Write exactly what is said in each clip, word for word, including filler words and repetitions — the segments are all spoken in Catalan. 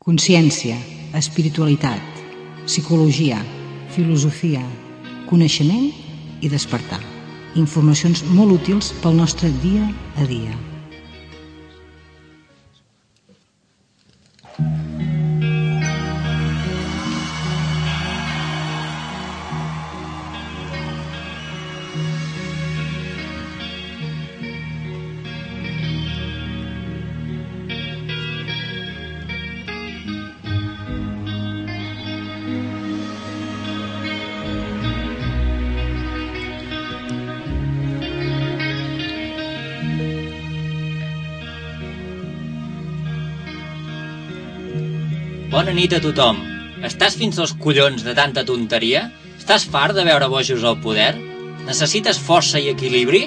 Consciència, espiritualitat, psicologia, filosofia, coneixement i despertar. Informacions molt útils pel nostre dia a dia. Bona nit a tothom. Estàs fins als collons de tanta tonteria? Estàs fart de veure bojos al poder? Necessites força i equilibri?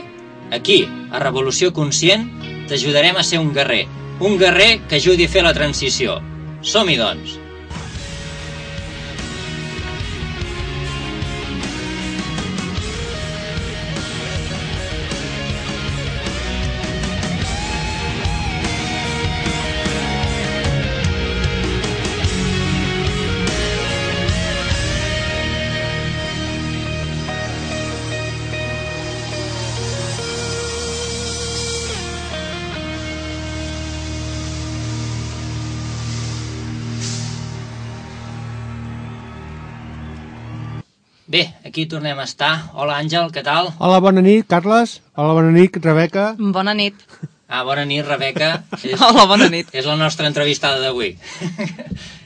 Aquí, a Revolució Conscient, t'ajudarem a ser un guerrer. Un guerrer que ajudi a fer la transició. Som-hi, doncs. Bé, aquí tornem a estar. Hola, Àngel, què tal? Hola, bona nit, Carles. Hola, bona nit, Rebeca. Bona nit. Ah, bona nit, Rebeca. És, Hola, bona nit. És la nostra entrevistada d'avui.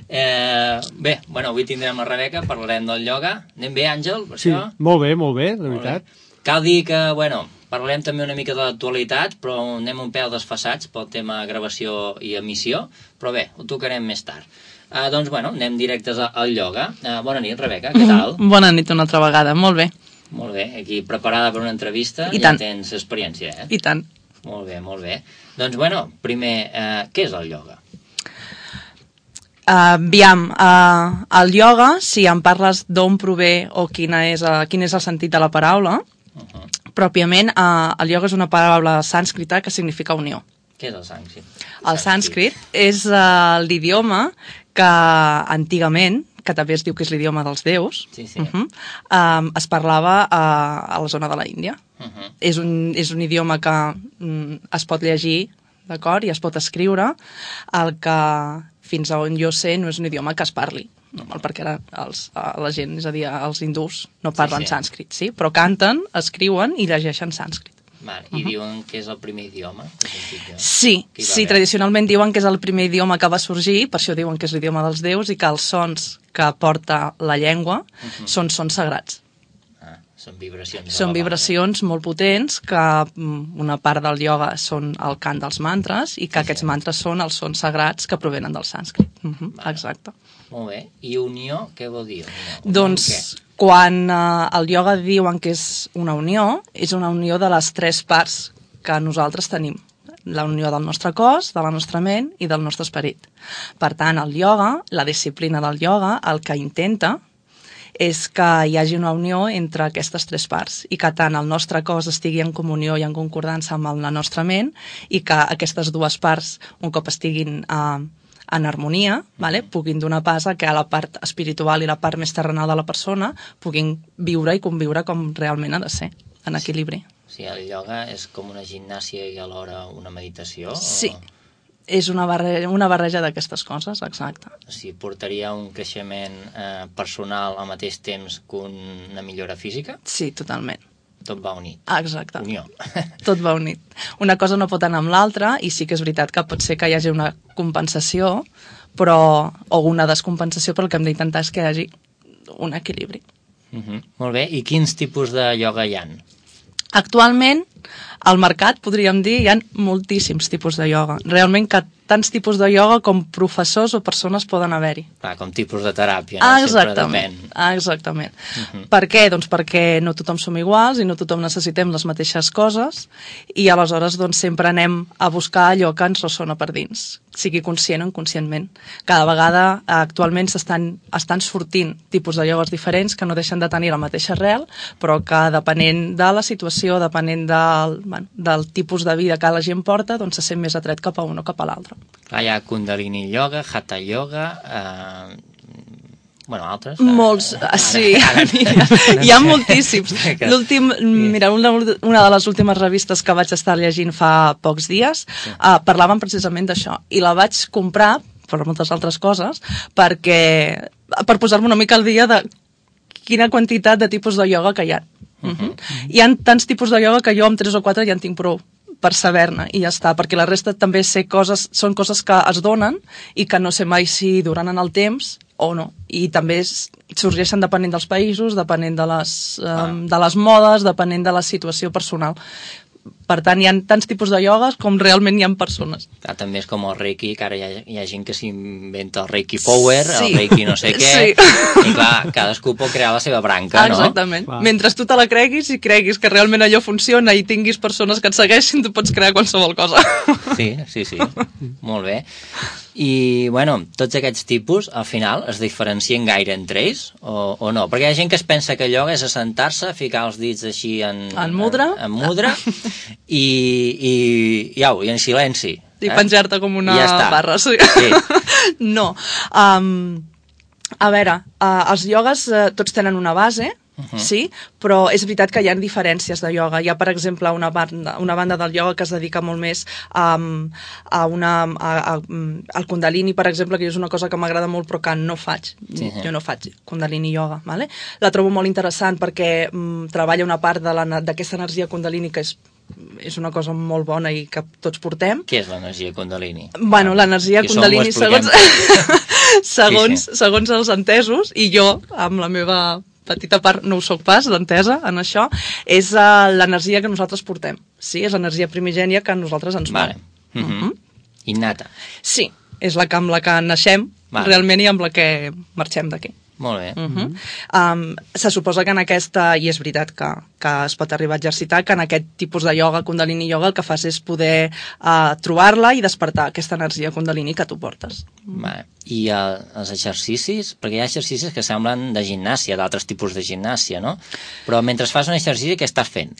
eh, bé, bueno, avui tindrem la Rebeca, parlarem del ioga. Anem bé, Àngel, per Sí, això? molt bé, molt bé, de veritat. Bé. Cal dir que, bueno, parlarem també una mica de l'actualitat, però anem un pèl desfassats pel tema gravació i emissió, però bé, ho tocarem més tard. Uh, doncs, bueno, anem directes al ioga. Uh, bona nit, Rebeca, què tal? Bona nit una altra vegada, molt bé. Molt bé, aquí preparada per una entrevista. I ja tant. Tens experiència, eh? I tant. Molt bé, molt bé. Doncs, bueno, primer, uh, què és el ioga? Uh, aviam, uh, el ioga, si em parles d'on prové o quina és, uh, quin és el sentit de la paraula, uh -huh. pròpiament, uh, el ioga és una paraula sànscrita que significa unió. Què és el sànscrit? El sànscrit és uh, l'idioma que antigament, que també es diu que és l'idioma dels déus, sí, sí. Uh -huh, um, es parlava uh, a la zona de la Índia. Uh -huh. és, un, és un idioma que um, es pot llegir, d'acord, i es pot escriure, el que, fins a on jo sé, no és un idioma que es parli, normal, perquè ara els, la gent, és a dir, els hindús no parlen sí, sí. sànscrit, sí? Però canten, escriuen i llegeixen sànscrit. Vale. I uh -huh. diuen que és el primer idioma? Sí, sí, tradicionalment diuen que és el primer idioma que va sorgir, per això diuen que és l'idioma dels déus, i que els sons que porta la llengua uh -huh. són sons sagrats. Ah, són vibracions. Són vibracions molt potents, que una part del ioga són el cant dels mantres, i que sí, aquests sí. mantres són els sons sagrats que provenen del sànscrit. Uh -huh. vale. Exacte. Molt bé. I unió, què vol dir? Unió? Doncs... Quan eh, el ioga diuen que és una unió, és una unió de les tres parts que nosaltres tenim. La unió del nostre cos, de la nostra ment i del nostre esperit. Per tant, el ioga, la disciplina del ioga, el que intenta és que hi hagi una unió entre aquestes tres parts i que tant el nostre cos estigui en comunió i en concordança amb la nostra ment i que aquestes dues parts, un cop estiguin eh, en harmonia, vale? puguin donar pas a que la part espiritual i la part més terrenal de la persona puguin viure i conviure com realment ha de ser, en equilibri. O sigui, el ioga és com una gimnàsia i alhora una meditació? Sí, o... és una barreja, una barreja d'aquestes coses, exacte. O sigui, portaria un creixement eh, personal al mateix temps que una millora física? Sí, totalment. Tot va unit. Ah, exacte. Unió. Tot va unit. Una cosa no pot anar amb l'altra, i sí que és veritat que pot ser que hi hagi una compensació, però, o una descompensació, però el que hem d'intentar és que hi hagi un equilibri. Uh -huh. Molt bé. I quins tipus de ioga hi ha? Actualment, al mercat, podríem dir, hi ha moltíssims tipus de ioga. Realment que tants tipus de ioga com professors o persones poden haver-hi. Ah, com tipus de teràpia, no? Ah, exactament. Ah, exactament. Uh -huh. Per què? Doncs perquè no tothom som iguals i no tothom necessitem les mateixes coses, i aleshores doncs sempre anem a buscar allò que ens ressona per dins. sigui conscient o inconscientment. Cada vegada actualment s'estan estan sortint tipus de iogues diferents que no deixen de tenir la mateixa arrel, però que depenent de la situació, depenent del, bueno, del tipus de vida que la gent porta, doncs se sent més atret cap a un o cap a l'altre. Clar, hi ha Kundalini Yoga, Hatha Yoga, eh, bueno, altres. Molts, eh, sí, ara, ara, hi ha moltíssims. L'últim, mira, una, una de les últimes revistes que vaig estar llegint fa pocs dies sí. uh, parlaven precisament d'això, i la vaig comprar, per moltes altres coses, perquè, per posar-me una mica al dia de quina quantitat de tipus de ioga que hi ha. Uh -huh. Hi ha tants tipus de ioga que jo amb tres o quatre ja en tinc prou per saber-ne, i ja està, perquè la resta també sé coses, són coses que es donen i que no sé mai si duran en el temps o no, i també sorgeixen depenent dels països, depenent de les, ah. um, de les modes, depenent de la situació personal. Per tant, hi ha tants tipus de iogues com realment hi ha persones. Clar, també és com el Reiki, que ara hi ha, hi ha gent que s'inventa el Reiki Power, sí. el Reiki no sé què, sí. i clar, cadascú pot crear la seva branca, no? Exactament. Clar. Mentre tu te la creguis i creguis que realment allò funciona i tinguis persones que et segueixin, tu pots crear qualsevol cosa. Sí, sí, sí. Molt bé. I, bueno, tots aquests tipus, al final, es diferencien gaire entre ells, o, o no? Perquè hi ha gent que es pensa que allò és assentar-se, ficar els dits així en... En mudra. En, en mudra, i, i, au, i en silenci. I eh? penjar-te com una ja barra, sí. sí. No. Um, a veure, uh, els iogues uh, tots tenen una base, Uh-huh. sí, però és veritat que hi ha diferències de ioga. Hi ha, per exemple, una banda, una banda del ioga que es dedica molt més a, a una, a, a, al Kundalini, per exemple, que és una cosa que m'agrada molt però que no faig. Sí, sí. Jo no faig Kundalini Yoga. Vale? La trobo molt interessant perquè mm, treballa una part d'aquesta energia Kundalini que és és una cosa molt bona i que tots portem. Què és l'energia Kundalini? Bueno, l'energia Kundalini, segons, segons, sí, sí. segons els entesos, i jo, amb la meva petita part, no ho soc pas, d'entesa en això, és uh, l'energia que nosaltres portem. Sí, és l'energia primigènia que nosaltres ens vale. mou. Mm-hmm. Uh-huh. Innata. Sí, és la que amb la que naixem, vale. realment, i amb la que marxem d'aquí. Molt bé. Uh-huh. um, se suposa que en aquesta, i és veritat que, que es pot arribar a exercitar, que en aquest tipus de ioga, Kundalini Yoga, el que fas és poder uh, trobar-la i despertar aquesta energia Kundalini que tu portes. Vale. I uh, els exercicis? Perquè hi ha exercicis que semblen de gimnàsia, d'altres tipus de gimnàsia, no? Però mentre fas un exercici, què estàs fent?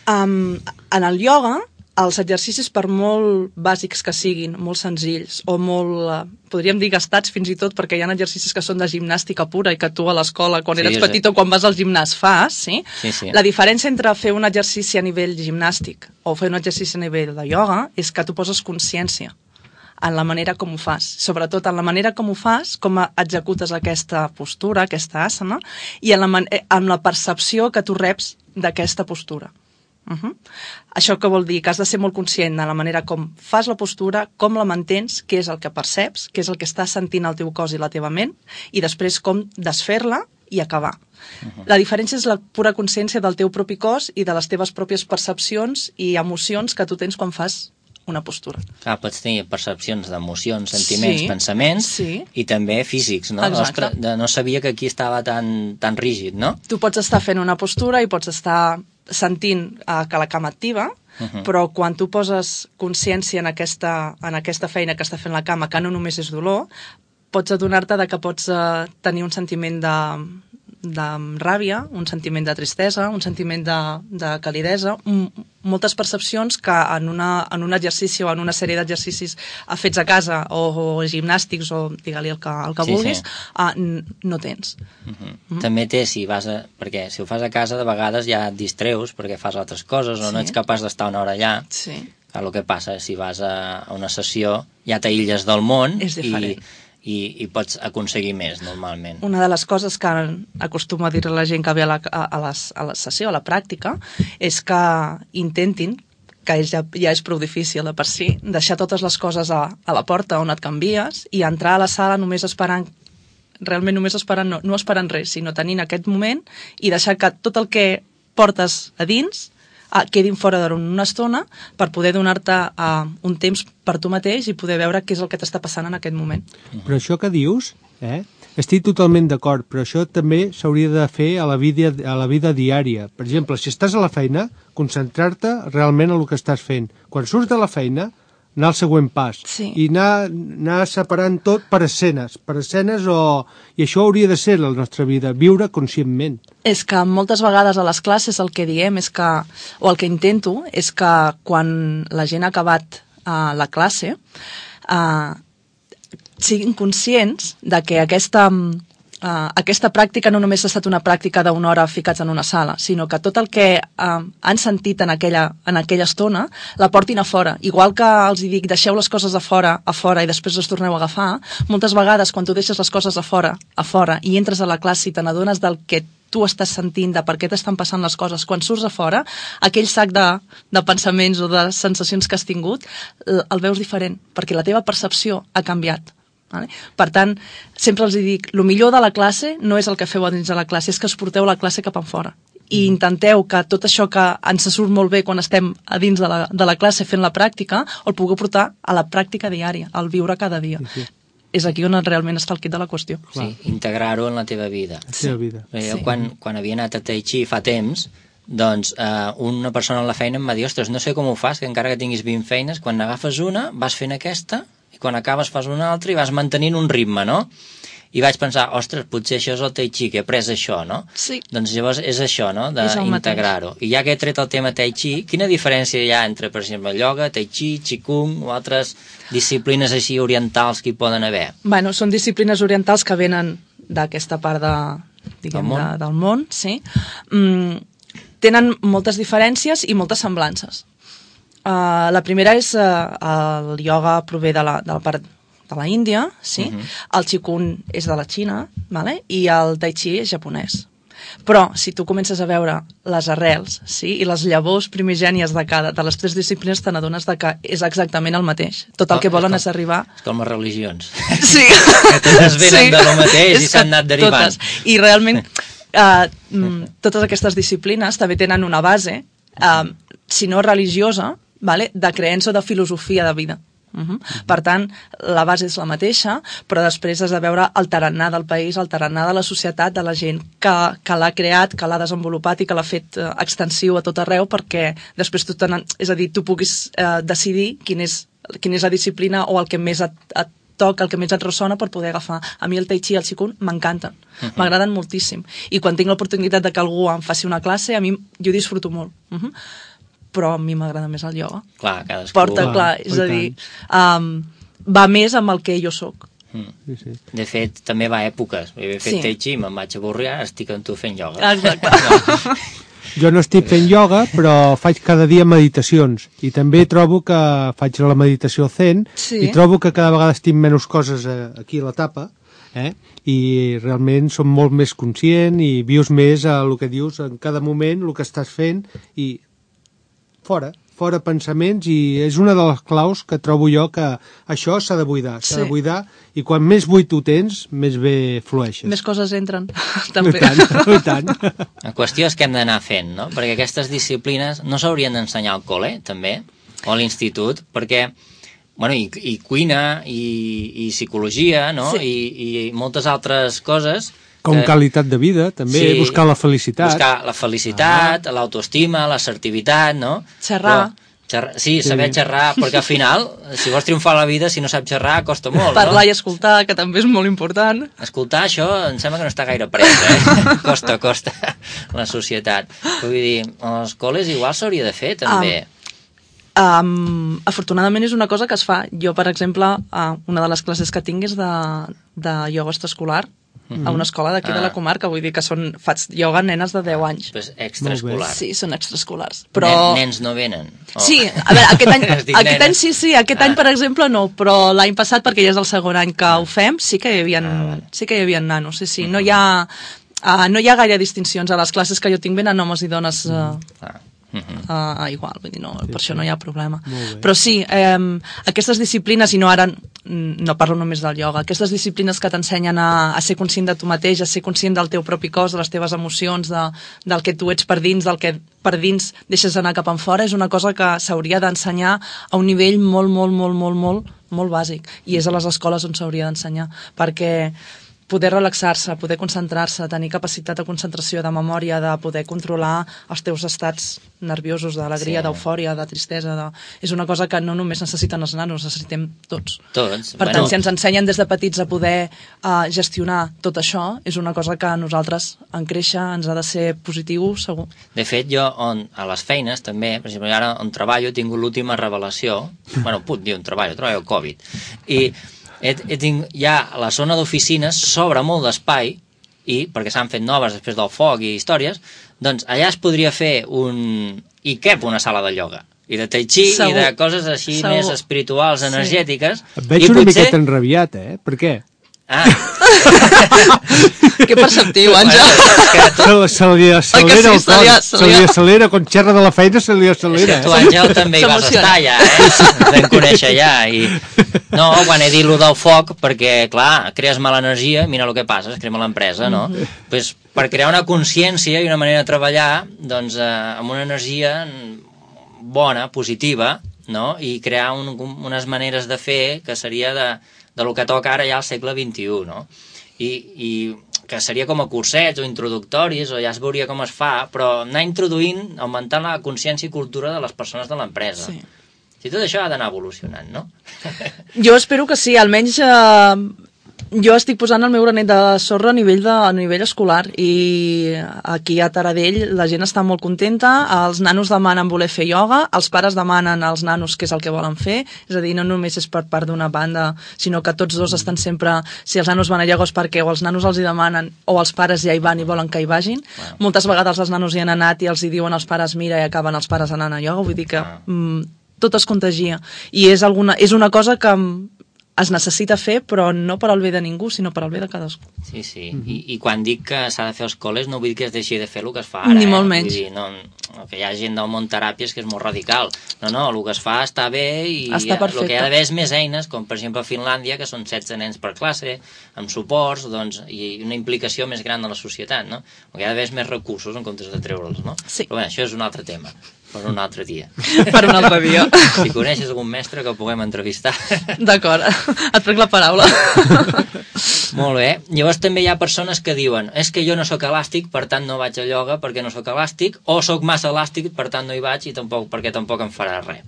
Um, en el ioga, els exercicis, per molt bàsics que siguin, molt senzills, o molt, eh, podríem dir, gastats fins i tot, perquè hi ha exercicis que són de gimnàstica pura i que tu a l'escola, quan sí, eres petit o quan vas al gimnàs, fas, sí? Sí, sí. La diferència entre fer un exercici a nivell gimnàstic o fer un exercici a nivell de ioga és que tu poses consciència en la manera com ho fas, sobretot en la manera com ho fas, com executes aquesta postura, aquesta asana, i en la, en la percepció que tu reps d'aquesta postura. Uh-huh. Això què vol dir? Que has de ser molt conscient de la manera com fas la postura, com la mantens, què és el que perceps, què és el que estàs sentint al teu cos i la teva ment, i després com desfer-la i acabar. Uh-huh. La diferència és la pura consciència del teu propi cos i de les teves pròpies percepcions i emocions que tu tens quan fas una postura. Clar, pots tenir percepcions d'emocions, sentiments, sí, pensaments sí. i també físics, no? Exacte. Ostres, no sabia que aquí estava tan, tan rígid, no? Tu pots estar fent una postura i pots estar sentint uh, que la cama activa, uh-huh. però quan tu poses consciència en aquesta, en aquesta feina que està fent la cama, que no només és dolor, pots adonar-te de que pots uh, tenir un sentiment de, de ràbia, un sentiment de tristesa, un sentiment de, de calidesa, m- moltes percepcions que en, una, en un exercici o en una sèrie d'exercicis fets a casa o, o gimnàstics o digue-li el que, el que sí, vulguis, sí. Uh, n- no tens. Uh-huh. Uh-huh. També té, si vas a... perquè si ho fas a casa de vegades ja et distreus perquè fas altres coses o sí. no ets capaç d'estar una hora allà. Sí. Clar, el que passa és si vas a una sessió ja t'aïlles del món és diferent. i I, i pots aconseguir més, normalment. Una de les coses que acostumo a dir a la gent que ve a la, a, les, a la sessió, a la pràctica, és que intentin, que ja, ja és prou difícil de per si, deixar totes les coses a, a la porta on et canvies i entrar a la sala només esperant, realment només esperant, no, no esperant res, sinó tenint aquest moment i deixar que tot el que portes a dins Uh, quedin fora d'una estona per poder donar-te uh, un temps per tu mateix i poder veure què és el que t'està passant en aquest moment. Però això que dius, eh, estic totalment d'acord, però això també s'hauria de fer a la, vida, a la vida diària. Per exemple, si estàs a la feina, concentrar-te realment en el que estàs fent. Quan surts de la feina, anar al següent pas. Sí. I anar, anar separant tot per escenes, per escenes o... I això hauria de ser la nostra vida, viure conscientment. És que moltes vegades a les classes el que diem és que, o el que intento, és que quan la gent ha acabat uh, la classe uh, siguin conscients de que aquesta... Uh, aquesta pràctica no només ha estat una pràctica d'una hora ficats en una sala, sinó que tot el que uh, han sentit en aquella, en aquella estona la portin a fora. Igual que els dic, deixeu les coses a fora, a fora i després les torneu a agafar, moltes vegades quan tu deixes les coses a fora, a fora i entres a la classe i te n'adones del que tu estàs sentint, de per què t'estan passant les coses, quan surts a fora, aquell sac de, de pensaments o de sensacions que has tingut, el veus diferent, perquè la teva percepció ha canviat. Vale? Per tant, sempre els dic, el millor de la classe no és el que feu a dins de la classe, és que es porteu la classe cap enfora. I intenteu que tot això que ens surt molt bé quan estem a dins de la, de la classe fent la pràctica, el pugueu portar a la pràctica diària, al viure cada dia. Sí, sí. És aquí on realment està el quid de la qüestió. Sí, integrar-ho en la teva vida. La teva vida. Jo sí. quan, quan havia anat a Tai Chi fa temps, doncs eh, una persona a la feina em va dir, ostres, no sé com ho fas, que encara que tinguis vint feines, quan n'agafes una, vas fent aquesta, i quan acabes fas una altra i vas mantenint un ritme, no? I vaig pensar, ostres, potser això és el Tai Chi, que he après això, no? Sí. Doncs llavors és això, no?, d'integrar-ho. I ja que he tret el tema Tai Chi, quina diferència hi ha entre, per exemple, ioga, Tai Chi, Qigong o altres disciplines així orientals que hi poden haver? Bueno, són disciplines orientals que venen d'aquesta part de, diguem, del món, de, del món sí. Mm, tenen moltes diferències i moltes semblances. Uh, la primera és uh, el ioga prové de la, de la part de la Índia, sí? Uh-huh. El Qigong és de la Xina, vale? I el Tai Chi és japonès. Però si tu comences a veure les arrels, sí? I les llavors primigènies de cada de les tres disciplines, te n'adones que és exactament el mateix. Tot el que volen és, com, és arribar... És com les religions. Sí. Que totes venen sí. de lo mateix i s'han anat derivant. Totes. I realment uh, totes aquestes disciplines també tenen una base, uh, si no religiosa, vale? De creença o de filosofia de vida. Uh -huh. Per tant, la base és la mateixa, però després has de veure el tarannà del país, el tarannà de la societat, de la gent que, que l'ha creat, que l'ha desenvolupat i que l'ha fet eh, extensiu a tot arreu, perquè després tu tenen, és a dir, tu puguis eh, decidir quin és, quina és la disciplina o el que més et, et toca, el que més et ressona per poder agafar. A mi el Tai Chi i el Qigong m'encanten, uh -huh. m'agraden moltíssim. I quan tinc l'oportunitat de que algú em faci una classe, a mi jo disfruto molt. Uh -huh. Però a mi m'agrada més el ioga. Clar, cadascú... Porta, clar, clar és a dir, um, va més amb el que jo sóc. Mm. Sí, sí. De fet, també va a èpoques. Jo he fet sí. Tai Chi, me'n vaig avorrir, ara estic amb tu fent ioga. Exacte. Jo no estic fent ioga, però faig cada dia meditacions. I també trobo que faig la meditació zen sí. i trobo que cada vegada estic menys coses aquí a la tapa, eh? I realment som molt més conscient i vius més a el que dius en cada moment, el que estàs fent i fora, fora pensaments, i és una de les claus que trobo jo que això s'ha de buidar, s'ha sí. de buidar, i quan més buit ho tens, més bé flueixes. Més coses entren, també. I tant, i tant. La qüestió és que hem d'anar fent, no? Perquè aquestes disciplines no s'haurien d'ensenyar al col·le, també, o a l'institut, perquè, bueno, i, i cuina, i, i psicologia, no? Sí. I, i moltes altres coses... Com que, qualitat de vida, també, sí, buscar la felicitat. Buscar la felicitat, ah. l'autoestima, l'assertivitat, no? Xerrar. Però, xerrar sí, sí, saber xerrar, perquè al final, si vols triomfar a la vida, si no saps xerrar, costa molt, Parlar no? Parlar i escoltar, que també és molt important. Escoltar, això, em sembla que no està gaire pres, eh? Costa, costa, la societat. Vull dir, als col·les igual s'hauria de fer, també. Um, um, afortunadament és una cosa que es fa. Jo, per exemple, uh, una de les classes que tinc és de, de ioga extraescolar, a una escola d'aquí ah. de la comarca, vull dir que són, faig ioga nenes de deu anys. Pues extraescolar. Sí, són extraescolars. Però... Nen, nens no venen? Oh. Sí, a veure, aquest any, aquest any sí, sí, aquest ah. any, per exemple, no, però l'any passat, perquè ja és el segon any que ho fem, sí que hi havia, ah, sí que hi havia nanos, sí, sí. No hi ha, uh, no hi ha gaire distincions. A les classes que jo tinc venen homes i dones uh, ah. Uh -huh. uh, igual, vull dir, no, sí, per sí. això no hi ha problema. Però sí, eh, aquestes disciplines, i no ara no parlo només del ioga, aquestes disciplines que t'ensenyen a, a ser conscient de tu mateix, a ser conscient del teu propi cos, de les teves emocions, de, del que tu ets per dins, del que per dins deixes anar cap en fora, és una cosa que s'hauria d'ensenyar a un nivell molt, molt, molt, molt, molt, molt bàsic, i és a les escoles on s'hauria d'ensenyar, perquè poder relaxar-se, poder concentrar-se, tenir capacitat de concentració, de memòria, de poder controlar els teus estats nerviosos, d'alegria, sí. d'eufòria, de tristesa. De... És una cosa que no només necessiten els nanos, necessitem tots. Tots. Per bueno... tant, si ens ensenyen des de petits a poder uh, gestionar tot això, és una cosa que a nosaltres, en créixer, ens ha de ser positiu, segur. De fet, jo on, a les feines, també, per exemple, ara on treballo, he tingut l'última revelació, bueno, puc dir un treball, treballo al Covid, i He, he tinc, ja a la zona d'oficines s'obre molt d'espai, i perquè s'han fet noves després del foc i històries, doncs allà es podria fer un... i cap una sala de ioga, i de tai chi, segur. I de coses així segur. Més espirituals, energètiques. Sí. Et veig I una potser... miqueta enrabiat, eh? Per què? Ah. Que perceptiu, Àngel. Se, se li accelera el cor, se li accelera, quan xerra de la feina se li accelera. Tu, Àngel, també hi vas estar ja, eh? Ens vam conèixer ja. I... No, quan he dit lo del foc, perquè, clar, crees mala energia, mira el que passa, es crema l'empresa, no? Mm-hmm. Pues, per crear una consciència i una manera de treballar, doncs, eh, amb una energia bona, positiva, no? I crear un, unes maneres de fer que seria de... de lo que toca ara ja al segle vint-i-u, no? I, i que seria com a cursets o introductoris, o ja es veuria com es fa, però anar introduint, augmentant la consciència i cultura de les persones de l'empresa. Sí. I tot això ha d'anar evolucionant, no? Jo espero que sí, almenys... Eh... Jo estic posant el meu granet de sorra a nivell, de, a nivell escolar, i aquí a Taradell la gent està molt contenta, els nanos demanen voler fer ioga, els pares demanen als nanos què és el que volen fer, és a dir, no només és per part d'una banda, sinó que tots dos estan sempre, si els nanos van a ioga és perquè o els nanos els hi demanen o els pares ja hi van i volen que hi vagin. Wow. Moltes vegades els nanos hi han anat i els hi diuen als pares mira i acaben els pares anant a ioga, vull dir que mm, tot es contagia, i és, alguna, és una cosa que es necessita fer, però no per al bé de ningú, sinó per al bé de cadascú. Sí, sí. Mm-hmm. I, I quan dic que s'ha de fer als col·les, no vull dir que es deixi de fer el que es fa ara. Ni molt menys. Vull dir, no, que hi ha gent del món teràpies que és molt radical. No, no, el que es fa està bé i està el que hi ha d'haver és més eines, com per exemple a Finlàndia, que són setze nens per classe, amb suports, doncs, i una implicació més gran de la societat, no? El que hi ha d'haver és més recursos en comptes de treure'ls, no? Sí. Però bé, això és un altre tema. Per un altre dia. Per un altre dia. Si coneixes algun mestre que puguem entrevistar. D'acord, et prenc la paraula. Molt bé. Llavors també hi ha persones que diuen és que jo no sóc elàstic, per tant no vaig a ioga perquè no sóc elàstic, o sóc massa elàstic, per tant no hi vaig i tampoc perquè tampoc em farà res.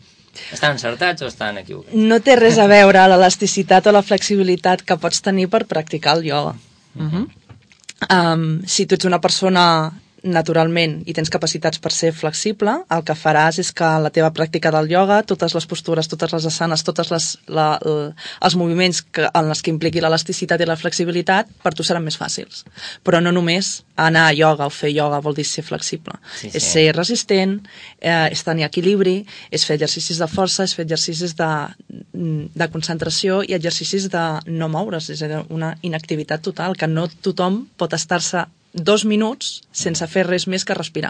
Estan encertats o estan equivocats? No té res a veure l'elasticitat o la flexibilitat que pots tenir per practicar el ioga. Uh-huh. um, si tu ets una persona naturalment i tens capacitats per ser flexible, el que faràs és que la teva pràctica del ioga, totes les postures, totes les asanes, tots la, els moviments que, en els que impliqui l'elasticitat i la flexibilitat, per tu seran més fàcils. Però no només anar a ioga o fer ioga vol dir ser flexible. Sí, sí. És ser resistent, eh, és tenir equilibri, és fer exercicis de força, és fer exercicis de, de concentració i exercicis de no moure's, és a dir, una inactivitat total, que no tothom pot estar-se dos minuts sense fer res més que respirar.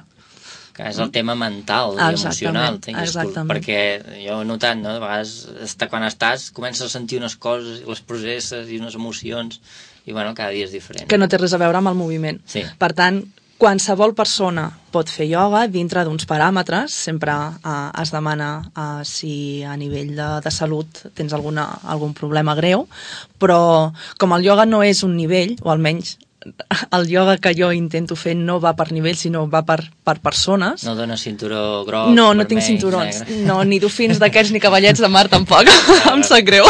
Que és el tema mental i emocional. Exactament. Perquè jo he notat, no? De vegades, quan estàs, comences a sentir unes coses, les processes i unes emocions, i bueno, cada dia és diferent. Que no té res a veure amb el moviment. Sí. Per tant, qualsevol persona pot fer ioga dintre d'uns paràmetres, sempre eh, es demana eh, si a nivell de, de salut tens alguna, algun problema greu, però com el ioga no és un nivell, o almenys el ioga que jo intento fer no va per nivell, sinó va per, per persones. No dona cinturó groc, no, no tinc cinturons, negre. No, ni dofins d'aquests ni cavallets de mar tampoc. Em sap greu.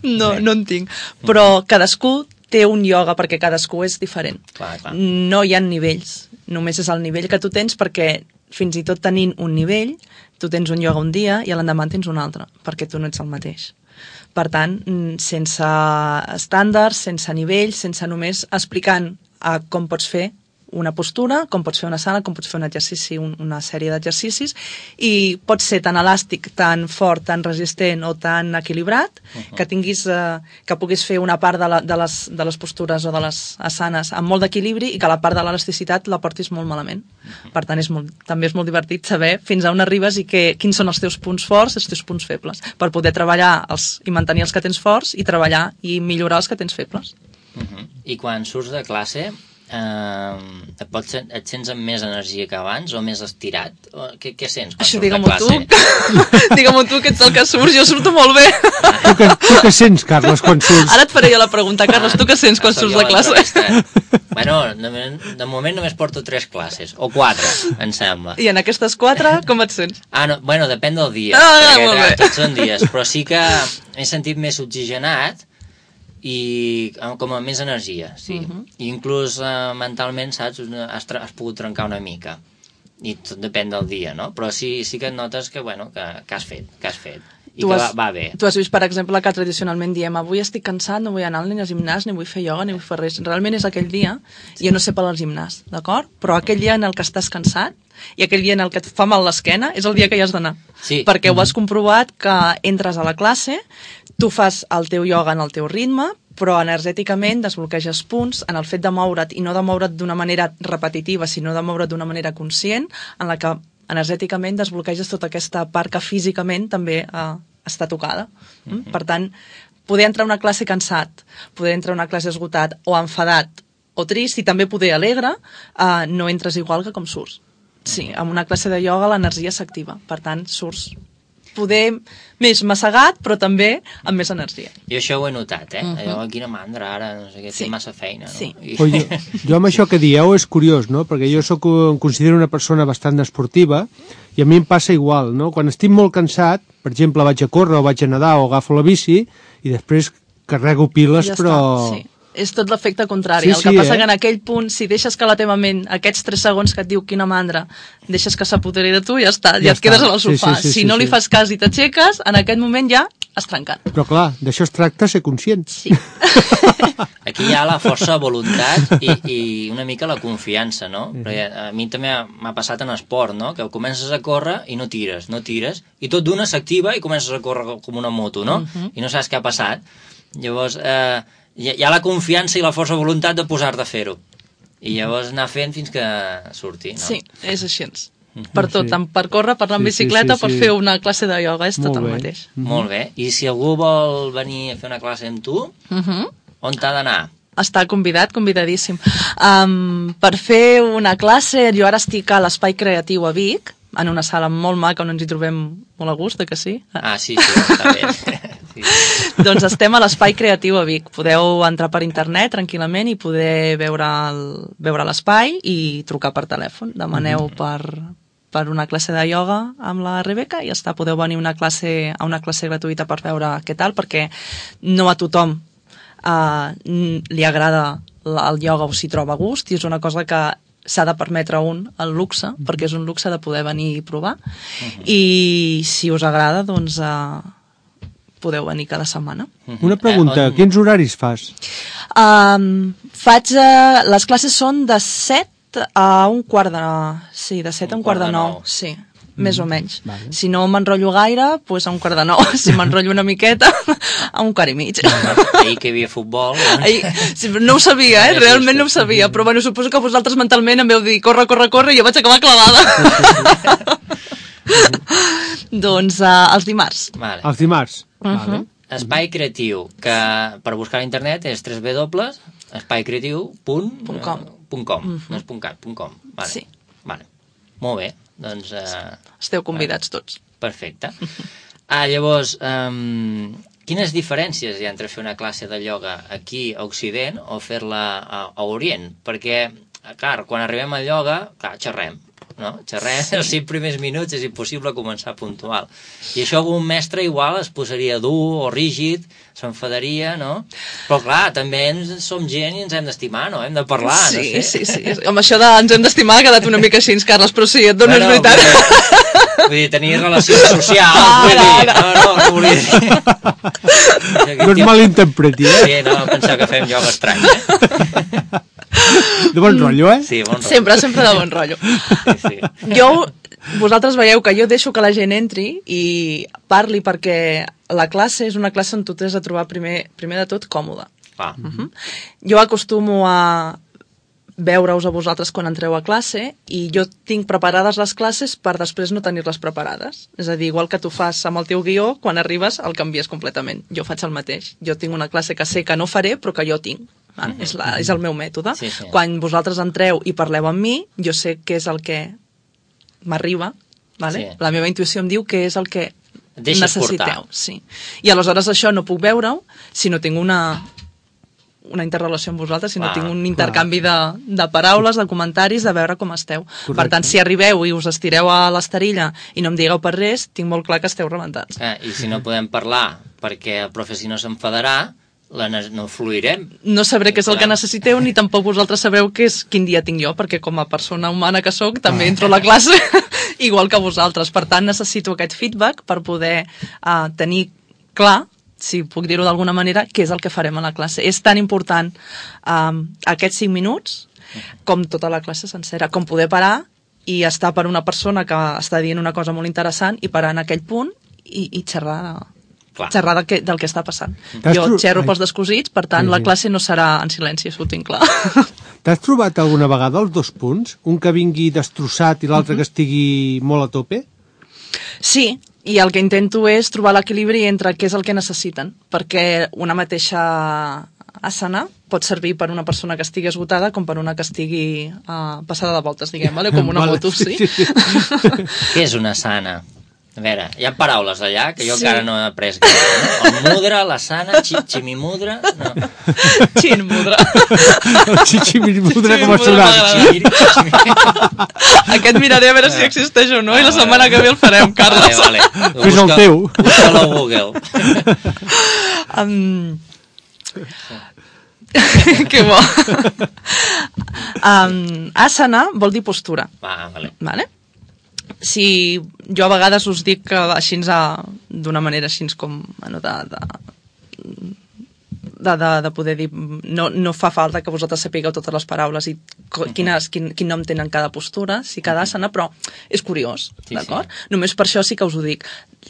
No, no en tinc. Però cadascú té un ioga perquè cadascú és diferent. Clar, clar. No hi ha nivells, només és el nivell que tu tens, perquè fins i tot tenint un nivell, tu tens un ioga un dia i l'endemà tens un altre, perquè tu no ets el mateix. Per tant, sense estàndards, sense nivells, sense només explicant a com pots fer una postura, com pots fer una sala, com pots fer un exercici, un, una sèrie d'exercicis, i pots ser tan elàstic, tan fort, tan resistent o tan equilibrat, uh-huh. que tinguis, eh, que puguis fer una part de, la, de, les, de les postures o de les asanes amb molt d'equilibri i que la part de l'elasticitat la portis molt malament. Uh-huh. Per tant, és molt, també és molt divertit saber fins a on arribes i que, quins són els teus punts forts i els teus punts febles, per poder treballar els, i mantenir els que tens forts i treballar i millorar els que tens febles. Uh-huh. I quan surts de classe, Uh, et, pots, et sents amb més energia que abans o més estirat? O, què, què sents quan Això surts de digue-m'ho classe? tu. Digue-m'ho tu, que ets el que surts. Jo surto molt bé. Tu que, tu que sents, Carles, quan surts? Ara et faré jo la pregunta, Carles. Tu què sents quan Soc surts jo de classe? l'entrevista. Bueno, de, de moment només porto tres classes, o quatre, em sembla. I en aquestes quatre, com et sents? Ah, no, bueno, depèn del dia. Ah, perquè, molt clar, bé. tots són dies, però sí que m'he sentit més oxigenat i amb- com amb més energia, sí. Mhm. I inclús eh, mentalment, saps, has, tra- has pogut trencar una mica. I tot depèn del dia, no? Però sí, sí que et notes que, bueno, que, que has fet, que has fet. I Tu que has- va, va bé. Tu has vist, per exemple, que tradicionalment diem avui estic cansat, no vull anar ni al gimnàs, ni vull fer ioga, ni vull fer res. Realment és aquell dia, sí. Jo no sé per al gimnàs, d'acord? Però aquell dia en el que estàs cansat i aquell dia en el que et fa mal l'esquena és el dia que hi has d'anar. Sí. Perquè ho has comprovat que entres a la classe, tu fas el teu ioga en el teu ritme, però energèticament desbloqueges punts en el fet de moure't, i no de moure't d'una manera repetitiva, sinó de moure't d'una manera conscient, en la que energèticament desbloqueges tota aquesta part que físicament també eh, està tocada. Mm? Mm-hmm. Per tant, poder entrar a una classe cansat, poder entrar a una classe esgotat o enfadat o trist, i també poder alegre, eh, no entres igual que com surts. Sí, amb una classe de ioga l'energia s'activa, per tant, surts poder més massegat, però també amb més energia. Jo això ho he notat, eh? Mhm. Allò, quina mandra ara, no sé què, Sí. té massa feina, no? Sí. I... Però jo, jo amb això que dieu és curiós, no? Perquè jo soc, em considero una persona bastant esportiva i a mi em passa igual, no? Quan estic molt cansat, per exemple, vaig a córrer o vaig a nedar o agafo la bici i després carrego piles, Ja però... està, sí. És tot l'efecte contrari. Sí, El que sí, passa eh? que en aquell punt, si deixes que la teva ment, aquests tres segons que et diu quina mandra, deixes que s'apoderi de tu, ja està, ja, Ja et quedes està. al Sí, sofà. sí, sí, si sí, no li sí. fas cas i t'aixeques, en aquest moment ja has trencat. Però clar, d'això es tracta ser conscient. Sí. Aquí hi ha la força de voluntat i, i una mica la confiança, no? Mhm. Perquè a mi també m'ha passat en esport, no? Que comences a córrer i no tires, no tires, i tot d'una s'activa i comences a córrer com una moto, no? Mhm. I no saps què ha passat. Llavors, eh, hi ha hi ha la confiança i la força de voluntat de posar-te a fer-ho. I llavors anar fent fins que surti, no? Sí, és així. Per tot, Sí. tant per córrer, per anar en Sí, sí, bicicleta, sí, per sí. fer una classe de ioga, és Molt tot el bé. mateix. Molt bé. I si algú vol venir a fer una classe amb tu, Uh -huh. on t'ha d'anar? Està convidat, convidadíssim. Um, per fer una classe, jo ara estic a l'Espai Creatiu a Vic, en una sala molt maca on ens hi trobem molt a gust, eh que sí? Ah, sí, sí, està bé. Sí. Doncs estem a l'Espai Creatiu a Vic. Podeu entrar per internet tranquil·lament i poder veure el- veure l'espai i trucar per telèfon. Demaneu Mhm. per, per una classe de ioga amb la Rebeca i ja està. Podeu venir una classe, a una classe gratuïta per veure què tal, perquè no a tothom uh, li agrada la- el ioga o s'hi troba a gust, i és una cosa que s'ha de permetre un el luxe, Mhm. perquè és un luxe de poder venir i provar. I si us agrada, doncs uh, podeu venir cada setmana. Una pregunta, Eh, on- quins horaris fas? Um, faig... Uh, les classes són de set a un quart de... Sí, de set a un quart de nou. Sí, més o menys. vale. Si no m'enrotllo gaire, doncs a un quart de nou. Si m'enrotllo una miqueta, a un quart i mig. Ahir que hi havia futbol... Doncs... Ai, sí, no ho sabia, eh? Realment no ho sabia, però bueno, suposo que vosaltres mentalment em veu dir corre, corre, corre, i jo vaig acabar clavada. Doncs uh, els dimarts. Vale. Els dimarts. Mhm. Vale. Espai Creatiu, que per buscar a internet és w w w punt espai creatiu punt com. No és punt cat, punt com. Vale. Sí. Vale. Molt bé, doncs... Eh, Esteu convidats tots. perfecte. Ah, llavors, um, quines diferències hi ha entre fer una classe de ioga aquí a Occident o fer-la a, a Orient? Perquè, clar, quan arribem al ioga, clar, xerrem, no? Xerrem, sí. Els cinc primers minuts és impossible començar puntual. I això algun mestre igual es posaria dur o rígid, s'enfadaria, no? Però clar, també ens, som gent i ens hem d'estimar, no? Hem de parlar, sí, no sé. sí, sí. Amb això de ens hem d'estimar ha quedat una mica així, Carles, però sí, et dono Bueno, és veritat. Vull dir, vull dir, tenir relacions socials, Ara, vull dir, ara. no, no, no volia dir. No es malinterpreti, eh? Sí, no, penseu que fem ioga estrany, eh? De bon rotllo, eh? Sí, bon rotllo. Sempre, sempre de bon rotllo. Sí, sí. Jo, vosaltres veieu que jo deixo que la gent entri i parli, perquè la classe és una classe on tu t'has de trobar primer, primer de tot còmode. Va. Uh -huh. Jo acostumo a veure-us a vosaltres quan entreu a classe i jo tinc preparades les classes per després no tenir-les preparades. És a dir, igual que tu fas amb el teu guió, quan arribes el canvies completament. Jo faig el mateix. Jo tinc una classe que sé que no faré, però que jo tinc. Uh-huh. És, la, és el meu mètode. Sí, sí. Quan vosaltres entreu i parleu amb mi, jo sé què és el que m'arriba, vale? Sí. La meva intuïció em diu què és el que necessiteu. Sí. I aleshores això no puc veure-ho si no tinc una, una interrelació amb vosaltres, si no ah, tinc un intercanvi de, de paraules, de comentaris, de veure com esteu. Correcte. Per tant, si arribeu i us estireu a l'esterilla i no em digueu per res, tinc molt clar que esteu rebentats. Eh, I si no podem parlar perquè el profe si no s'enfadarà, la no fluirem. No sabré què és el que necessiteu, ni tampoc vosaltres sabreu què és, quin dia tinc jo, perquè com a persona humana que sóc també entro a la classe igual que vosaltres. Per tant, necessito aquest feedback per poder uh, tenir clar, si puc dir-ho d'alguna manera, què és el que farem a la classe. És tan important um, aquests cinc minuts com tota la classe sencera, com poder parar i estar per una persona que està dient una cosa molt interessant i parar en aquell punt i, i xerrar de... Clar. xerrar del que, del que està passant. Jo xerro pels descosits, per tant, sí, sí. La classe no serà en silenci, això ho tinc clar. T'has trobat alguna vegada els dos punts? Un que vingui destrossat i l'altre uh-huh. que estigui molt a tope? Sí, i el que intento és trobar l'equilibri entre què és el que necessiten, perquè una mateixa asana pot servir per una persona que estigui esgotada com per una que estigui uh, passada de voltes, diguem, vale? Com una vale, moto, sí. sí, sí. Què és una asana? A veure, hi ha paraules allà que jo sí. encara no he après gaire, no? El mudra, la sana, chi, chimimudra... No. Chinmudra. Chimimudra com a sonat. Aquest miraré a veure si existeix o no i la setmana que ve el farem, Carles. Vale, vale. Fes el teu. Busca-lo a Google. Um... que bo. um, asana vol dir postura. Ah, vale. Vale? Si jo a vegades us dic que així d'una manera així com bueno, de, de, de, de, de poder dir no, no fa falta que vosaltres sapigueu totes les paraules i quines, quin, quin nom tenen cada postura, si cada asana, però és curiós, sí, d'acord? Sí. Només per això sí que us ho dic.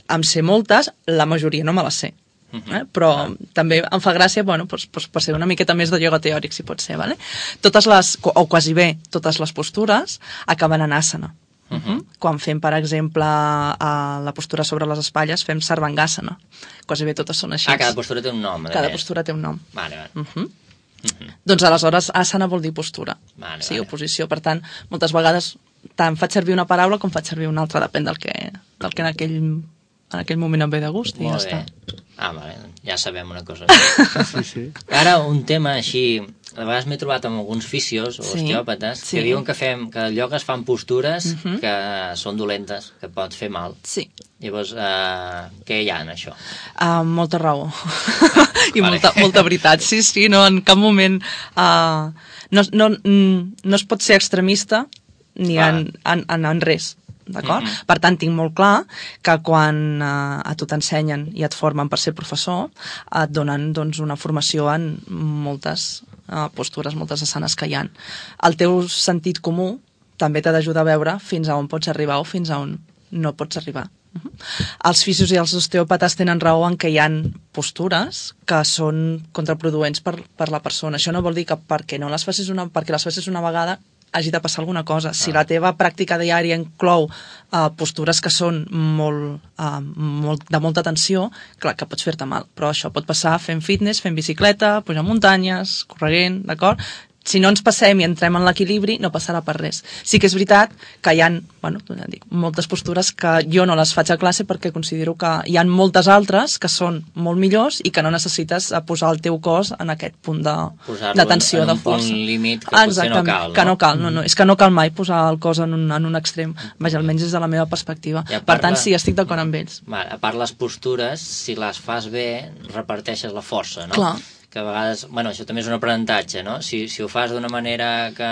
Em sé moltes, la majoria no me les sé. Eh? Però ah. també em fa gràcia bueno, doncs, doncs, per ser una miqueta més de ioga teòric, si pot ser, vale? Totes les, o quasi bé totes les postures acaben en asana. Uh -huh. Quan fem, per exemple, a la postura sobre les espatlles, fem sarvangasana. Quasi bé totes són així. Ah, cada postura té un nom. Cada més. postura té un nom. Vale, vale. Uh -huh. Uh -huh. Doncs aleshores asana vol dir postura. Vale, sí, vale. o posició. Per tant, moltes vegades tant faig servir una paraula com faig servir una altra, depèn del que, del que en, aquell, en aquell moment em ve de gust i Molt ja bé. està. Ah, vale, ja sabem una cosa. Sí, sí. Ara, un tema així... A vegades m'he trobat amb alguns fisios o sí, osteòpates sí. que diuen que, fem, que el ioga es fan postures uh -huh. que són dolentes, que pot fer mal. Sí. Llavors, uh, què hi ha en això? Uh, molta raó. I vale. molta, molta veritat. Sí, sí, no, en cap moment... Uh, no, no, no es pot ser extremista ni en, en, en, en res. D'acord? Mm-hmm. Per tant, tinc molt clar que quan eh, a tu t'ensenyen i et formen per ser professor, et donen doncs, una formació en moltes eh, postures, moltes asanes que hi ha. El teu sentit comú també t'ha d'ajudar a veure fins a on pots arribar o fins a on no pots arribar. Uh-huh. Els fisios i els osteòpates tenen raó en que hi ha postures que són contraproduents per, per la persona. Això no vol dir que perquè, no les facis una, perquè les facis una vegada hagi de passar alguna cosa. Si ah. la teva pràctica diària inclou uh, postures que són molt, uh, molt, de molta tensió, clar que pots fer-te mal, però això pot passar fent fitness, fent bicicleta, pujant muntanyes, correguent, d'acord? Si no ens passem i entrem en l'equilibri, no passarà per res. Sí que és veritat que hi ha bueno, dic, moltes postures que jo no les faig a classe perquè considero que hi ha moltes altres que són molt millors i que no necessites posar el teu cos en aquest punt de, de tensió, en, en de força. un punt límit que potser no cal. No? Que no cal, no, no. És que no cal mai posar el cos en un, en un extrem. Vaja, almenys des de la meva perspectiva. Per part, tant, sí, estic d'acord amb ells. A part les postures, si les fas bé, reparteixes la força, no? Clar. Que a vegades, bueno, això també és un aprenentatge, no? Si, si ho fas d'una manera que,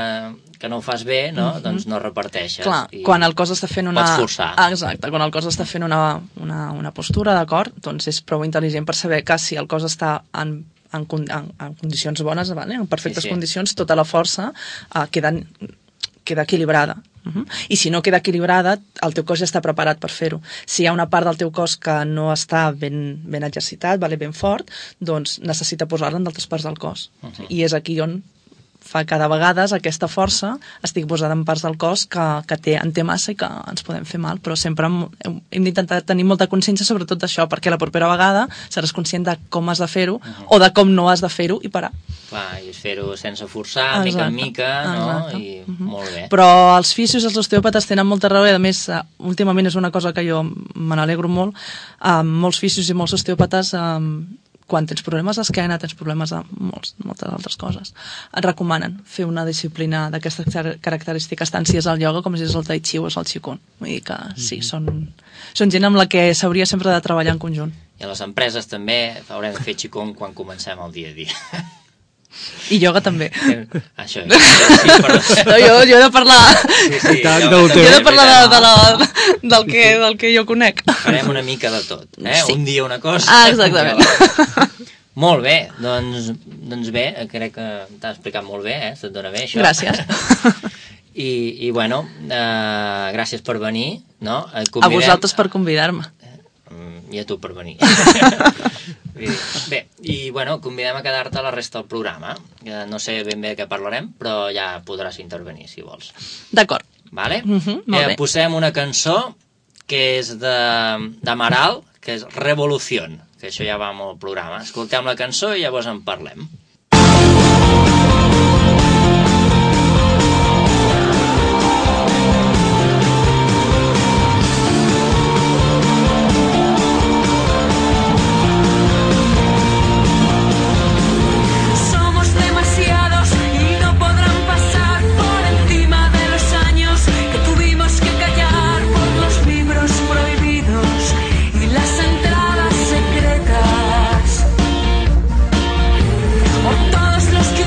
que no ho fas bé, no? Mm-hmm. Doncs no reparteixes. Clar, i quan el cos està fent una... Pots forçar. Ah, exacte, quan el cos està fent una, una, una postura, d'acord? Doncs és prou intel·ligent per saber que si el cos està en, en, en, en condicions bones, vale? En perfectes sí, sí. condicions, tota la força uh, queda, queda equilibrada. Uh-huh. I si no queda equilibrada, el teu cos ja està preparat per fer-ho. Si hi ha una part del teu cos que no està ben, ben exercitat, vale, ben fort, doncs necessita posar-la en d'altres parts del cos. Uh-huh. I és aquí on fa que de vegades aquesta força estigui posada en parts del cos que, que té, en té massa i que ens podem fer mal, però sempre hem, hem d'intentar tenir molta consciència sobretot d'això, perquè la propera vegada seràs conscient de com has de fer-ho uh -huh. o de com no has de fer-ho i parar. Clar, i fer-ho sense forçar, exacte, mica en mica, no? Exacte. I uh -huh. molt bé. Però els fisios i els osteòpates tenen molta raó i a més, últimament és una cosa que jo me n'alegro molt, um, molts fisios i molts osteòpates um, quan tens problemes d'esquena, tens problemes de molts, moltes altres coses, et recomanen fer una disciplina d'aquestes característiques, tant si és el ioga com si és el tai chi o és el qigong. Vull dir que sí, són, són gent amb la que s'hauria sempre de treballar en conjunt. I a les empreses també haurem de fer qigong quan comencem el dia a dia. I ioga també. Això és. Sí, però... no, jo, jo he de parlar... Sí, sí, Tant, jo, no també, jo he de parlar de, de la, del, que, del que jo conec. Farem una mica de tot, eh? Sí. Un dia una cosa... Ah, exactament. Molt bé, doncs, doncs bé, crec que t'has explicat molt bé, eh? Se't dona bé, això. Gràcies. I, i bueno, eh, gràcies per venir, no? Convidem... A vosaltres per convidar-me. I a tu per venir. Bé, i bueno, convidem a quedar-te a la resta del programa. No sé ben bé de què parlarem, però ja podràs intervenir, si vols. D'acord. Vale? Uh -huh, molt bé. Eh, posem una cançó que és de d'Amaral, que és Revolución, que això ja va amb el programa. Escoltem la cançó i llavors en parlem. Los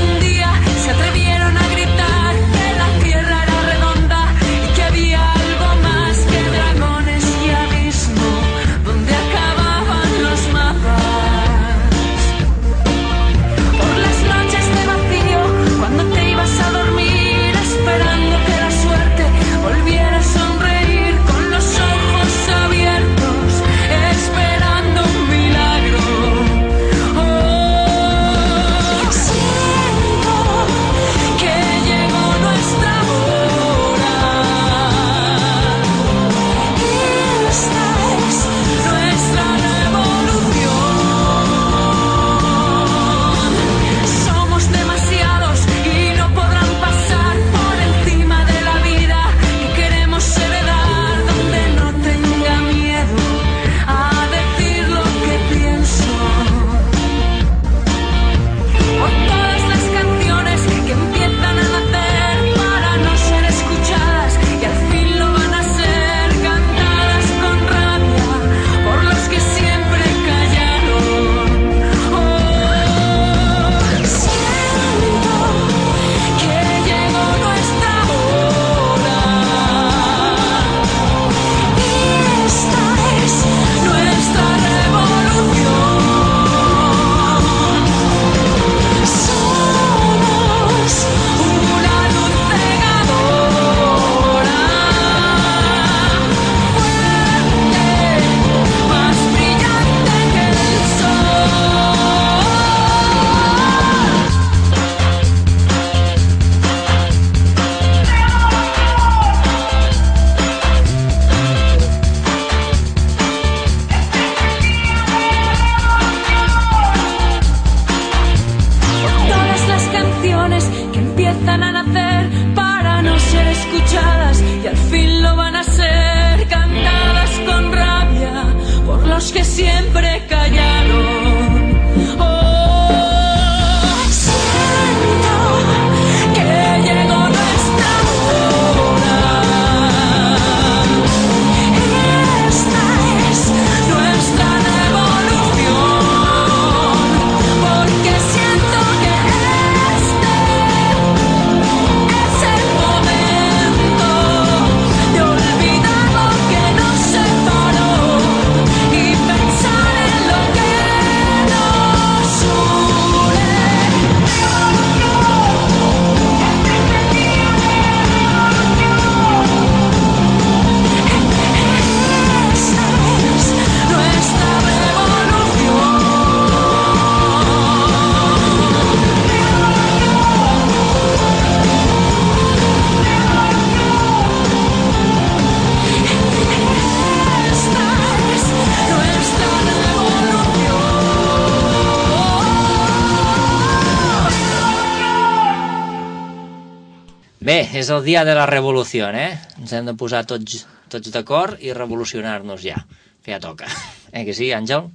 Bé, és el dia de la revolució, eh? Ens hem de posar tots, tots d'acord i revolucionar-nos ja, que ja toca. Eh que sí, Àngel?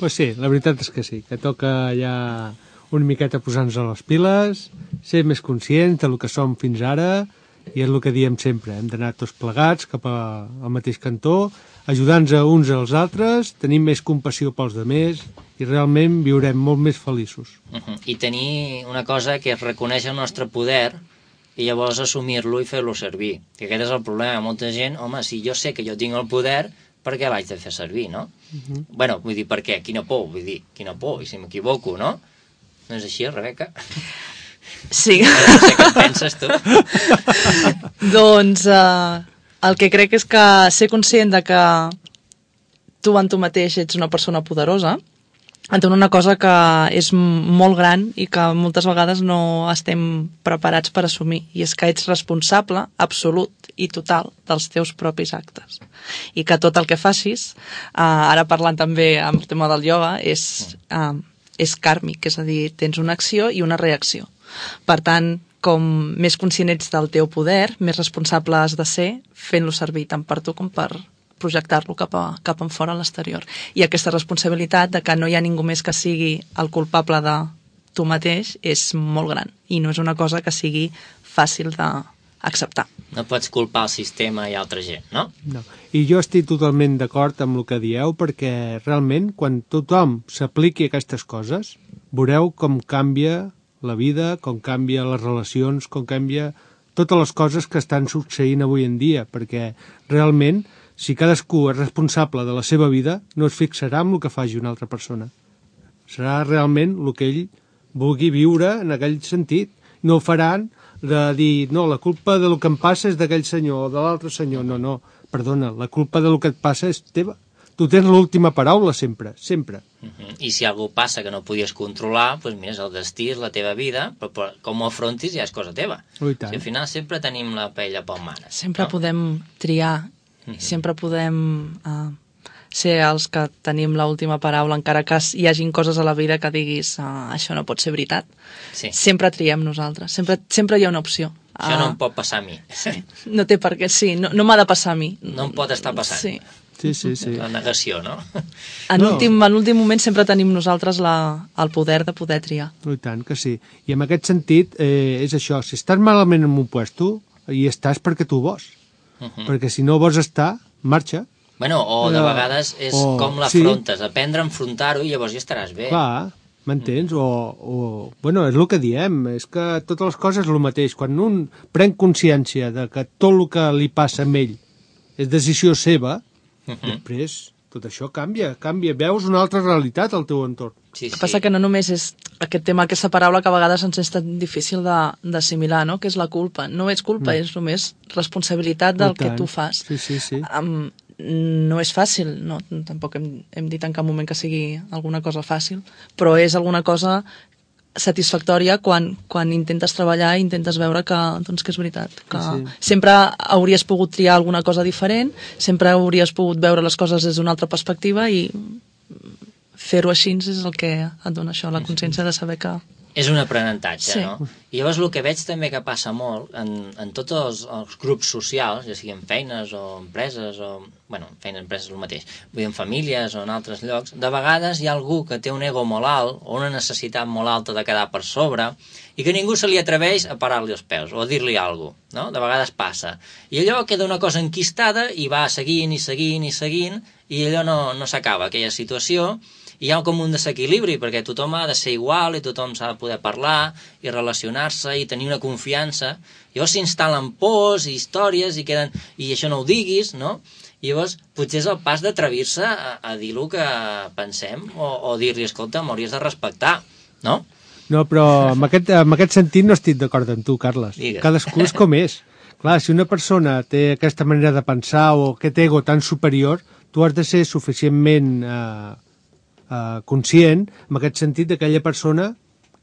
Pues sí, la veritat és que sí, que toca ja una miqueta posar-nos a les piles, ser més conscients del que som fins ara, i és el que diem sempre, hem d'anar tots plegats cap a, al mateix cantó, ajudant-nos uns als altres, tenir més compassió pels demés i realment viurem molt més feliços. Uh -huh. I tenir una cosa que és reconèixer el nostre poder i llavors assumir-lo i fer-lo servir. Que aquest és el problema. Molta gent, home, si jo sé que jo tinc el poder, per què l'haig de fer servir, no? Uh -huh. Bueno, vull dir, per què? Quina por, vull dir, quina por, i si m'equivoco, no? No és així, Rebeca? Sí. No sé què penses tu. Doncs uh, el que crec és que ser conscient de que tu en tu mateix ets una persona poderosa entén una cosa que és molt gran i que moltes vegades no estem preparats per assumir, i és que ets responsable absolut i total dels teus propis actes, i que tot el que facis, uh, ara parlant també amb el tema del ioga, és, uh, és kàrmic, és a dir, tens una acció i una reacció. Per tant, com més conscient ets del teu poder, més responsable has de ser fent-lo servir tant per tu com per projectar-lo cap, a, cap en fora a l'exterior. I aquesta responsabilitat de que no hi ha ningú més que sigui el culpable de tu mateix és molt gran, i no és una cosa que sigui fàcil d'acceptar. No pots culpar el sistema i altra gent, no? No. I jo estic totalment d'acord amb el que dieu, perquè realment quan tothom s'apliqui aquestes coses, veureu com canvia la vida, com canvia les relacions, com canvia totes les coses que estan succeint avui en dia, perquè realment si cadascú és responsable de la seva vida, no es fixarà en el que faci una altra persona. Serà realment el que ell vulgui viure en aquell sentit. No ho faran de dir, no, la culpa del que em passa és d'aquell senyor o de l'altre senyor. No, no, perdona, la culpa del que et passa és teva. Tu tens l'última paraula sempre, sempre. Uh-huh. I si algú passa que no podies controlar, doncs mira, és el destí, és la teva vida, però, però com ho afrontis ja és cosa teva. Oh, i tant. Si al final sempre tenim la paella pel mare. Sempre no? podem triar, uh-huh. sempre podem uh, ser els que tenim l'última paraula, encara que hi hagin coses a la vida que diguis uh, això no pot ser veritat. Sí. Sempre triem nosaltres, sempre, sempre hi ha una opció. Això uh, no em pot passar a mi. Sí. No té per què, sí, no, no m'ha de passar a mi. No em pot estar passant. Sí. Sí, sí, sí. La negació, no? En no. l'últim moment sempre tenim nosaltres la, el poder de poder triar. I tant que sí. I en aquest sentit, eh, és això, si estàs malament en un puesto, hi estàs perquè tu vols. Uh -huh. Perquè si no vols estar, marxa. Bueno, o de no. vegades és o, com l'afrontes, sí. Aprendre a enfrontar-ho i llavors ja estaràs bé. Clar, m'entens? Uh -huh. o, o, bueno, és el que diem, és que totes les coses és el mateix. Quan un pren consciència de que tot el que li passa a ell és decisió seva, Uh -huh. després tot això canvia, canvia, veus una altra realitat al teu entorn. Sí, sí. El que passa que no només és aquest tema, aquesta paraula que a vegades ens és tan difícil d'assimilar, no? Que és la culpa. No és culpa, mm. és només responsabilitat del que tu fas. Sí, sí, sí. Um, no és fàcil, no? Tampoc hem, hem dit en cap moment que sigui alguna cosa fàcil, però és alguna cosa satisfactòria quan, quan intentes treballar i intentes veure que, doncs, que és veritat, que sí, sí. Sempre hauries pogut triar alguna cosa diferent, sempre hauries pogut veure les coses des d'una altra perspectiva, i fer-ho així és el que et dona això, la consciència de saber que... És un aprenentatge, sí. No? I llavors el que veig també que passa molt en, en tots els, els grups socials, ja siguin feines o empreses, o, bueno, feines, empreses és el mateix, vull dir, en famílies o en altres llocs, de vegades hi ha algú que té un ego molt alt o una necessitat molt alta de quedar per sobre i que ningú se li atreveix a parar-li els peus o a dir-li alguna cosa, no? De vegades passa. I allò queda una cosa enquistada i va seguint i seguint i seguint i allò no, no s'acaba, aquella situació. Hi ha com un desequilibri, perquè tothom ha de ser igual i tothom s'ha de poder parlar i relacionar-se i tenir una confiança. Llavors s'instal·len pors i històries i queden, i això no ho diguis, no? I llavors potser és el pas d'atrevir-se a, a dir el que pensem o, o dir-li, escolta, m'hauries de respectar, no? No, però en aquest, en aquest sentit no estic d'acord amb tu, Carles. Digues. Cadascú és com és. Clar, si una persona té aquesta manera de pensar o aquest ego tan superior, tu has de ser suficientment... Eh, Uh, conscient, en aquest sentit, d'aquella persona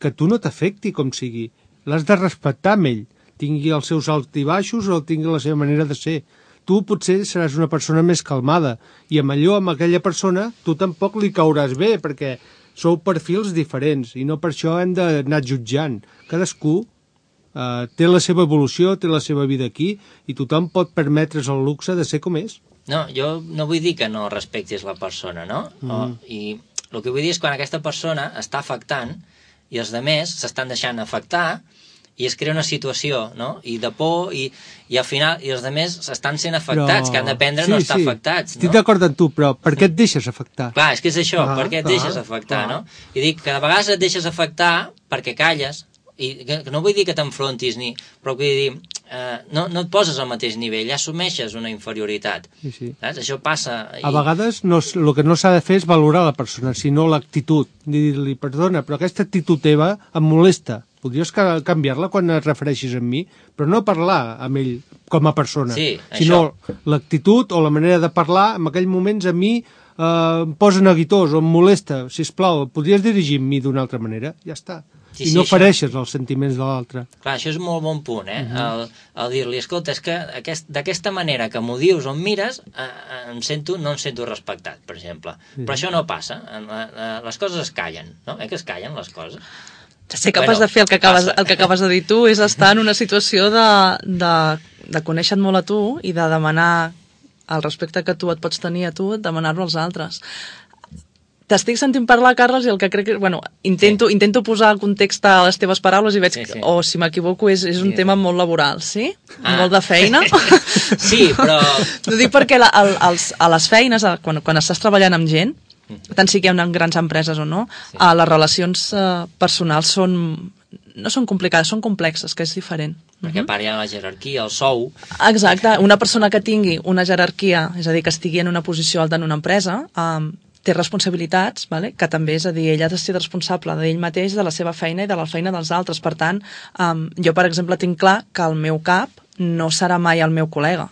que tu no t'afecti com sigui. L'has de respectar amb ell, tingui els seus alts i baixos o tingui la seva manera de ser. Tu potser seràs una persona més calmada i amb allò, amb aquella persona, tu tampoc li cauràs bé, perquè sou perfils diferents i no per això hem d'anar jutjant. Cadascú Uh, té la seva evolució, té la seva vida aquí, i tothom pot permetre's el luxe de ser com és. No, jo no vull dir que no respectis la persona, no? Mm. O, I el que vull dir és quan aquesta persona està afectant i els altres s'estan deixant afectar i es crea una situació, no? I de por, i, i al final i els altres s'estan sent afectats, però... que han d'aprendre a sí, no estar sí. afectats, no? Estic d'acord amb tu, però per què et deixes afectar? Clar, és que és això, ah, per què et ah, deixes afectar, ah. no? I dic que de vegades et deixes afectar perquè calles, i que no vull dir que t'enfrontis, ni, però vull dir, eh, no, no et poses al mateix nivell, ja assumeixes una inferioritat. Sí, sí. Saps? Això passa. I... A vegades no, el que no s'ha de fer és valorar la persona, sinó l'actitud. Dir-li, perdona, però aquesta actitud teva em molesta. Podries canviar-la quan et refereixis a mi, però no parlar amb ell com a persona, sí, sinó l'actitud o la manera de parlar en aquells moments a mi eh, em posa neguitós o em molesta. Sisplau, podries dirigir amb mi d'una altra manera? Ja està. Sí, I no sí, fereixes això... els sentiments de l'altre. Clar, això és un molt bon punt, eh? Uh -huh. el, el dir-li, escolta, és que aquest, d'aquesta manera que m'ho dius o em mires, eh, em sento, no em sento respectat, per exemple. Sí. Però això no passa. Les coses es callen, no? Eh que es callen les coses? Ser capaç bueno, de fer el que, acabes, el que acabes de dir tu és estar en una situació de, de, de conèixer-te molt a tu i de demanar el respecte que tu et pots tenir a tu, demanar-lo als altres. T'estic sentint parlar, Carles, i el que crec que... Bueno, intento, sí. intento posar context a les teves paraules i veig sí, sí. que, o si m'equivoco, és, és un sí. tema molt laboral, sí? Ah. Molt de feina. Sí, però... Ho dic perquè la, el, els, a les feines, quan, quan estàs treballant amb gent, tant si que hi ha grans empreses o no, sí. uh, les relacions uh, personals són... no són complicades, són complexes, que és diferent. Perquè a part hi ha la jerarquia, el sou... Exacte, una persona que tingui una jerarquia, és a dir, que estigui en una posició alta en una empresa... Um, té responsabilitats, vale? Que també, és a dir, ell ha de ser responsable d'ell mateix, de la seva feina i de la feina dels altres. Per tant, um, jo, per exemple, tinc clar que el meu cap no serà mai el meu col·lega.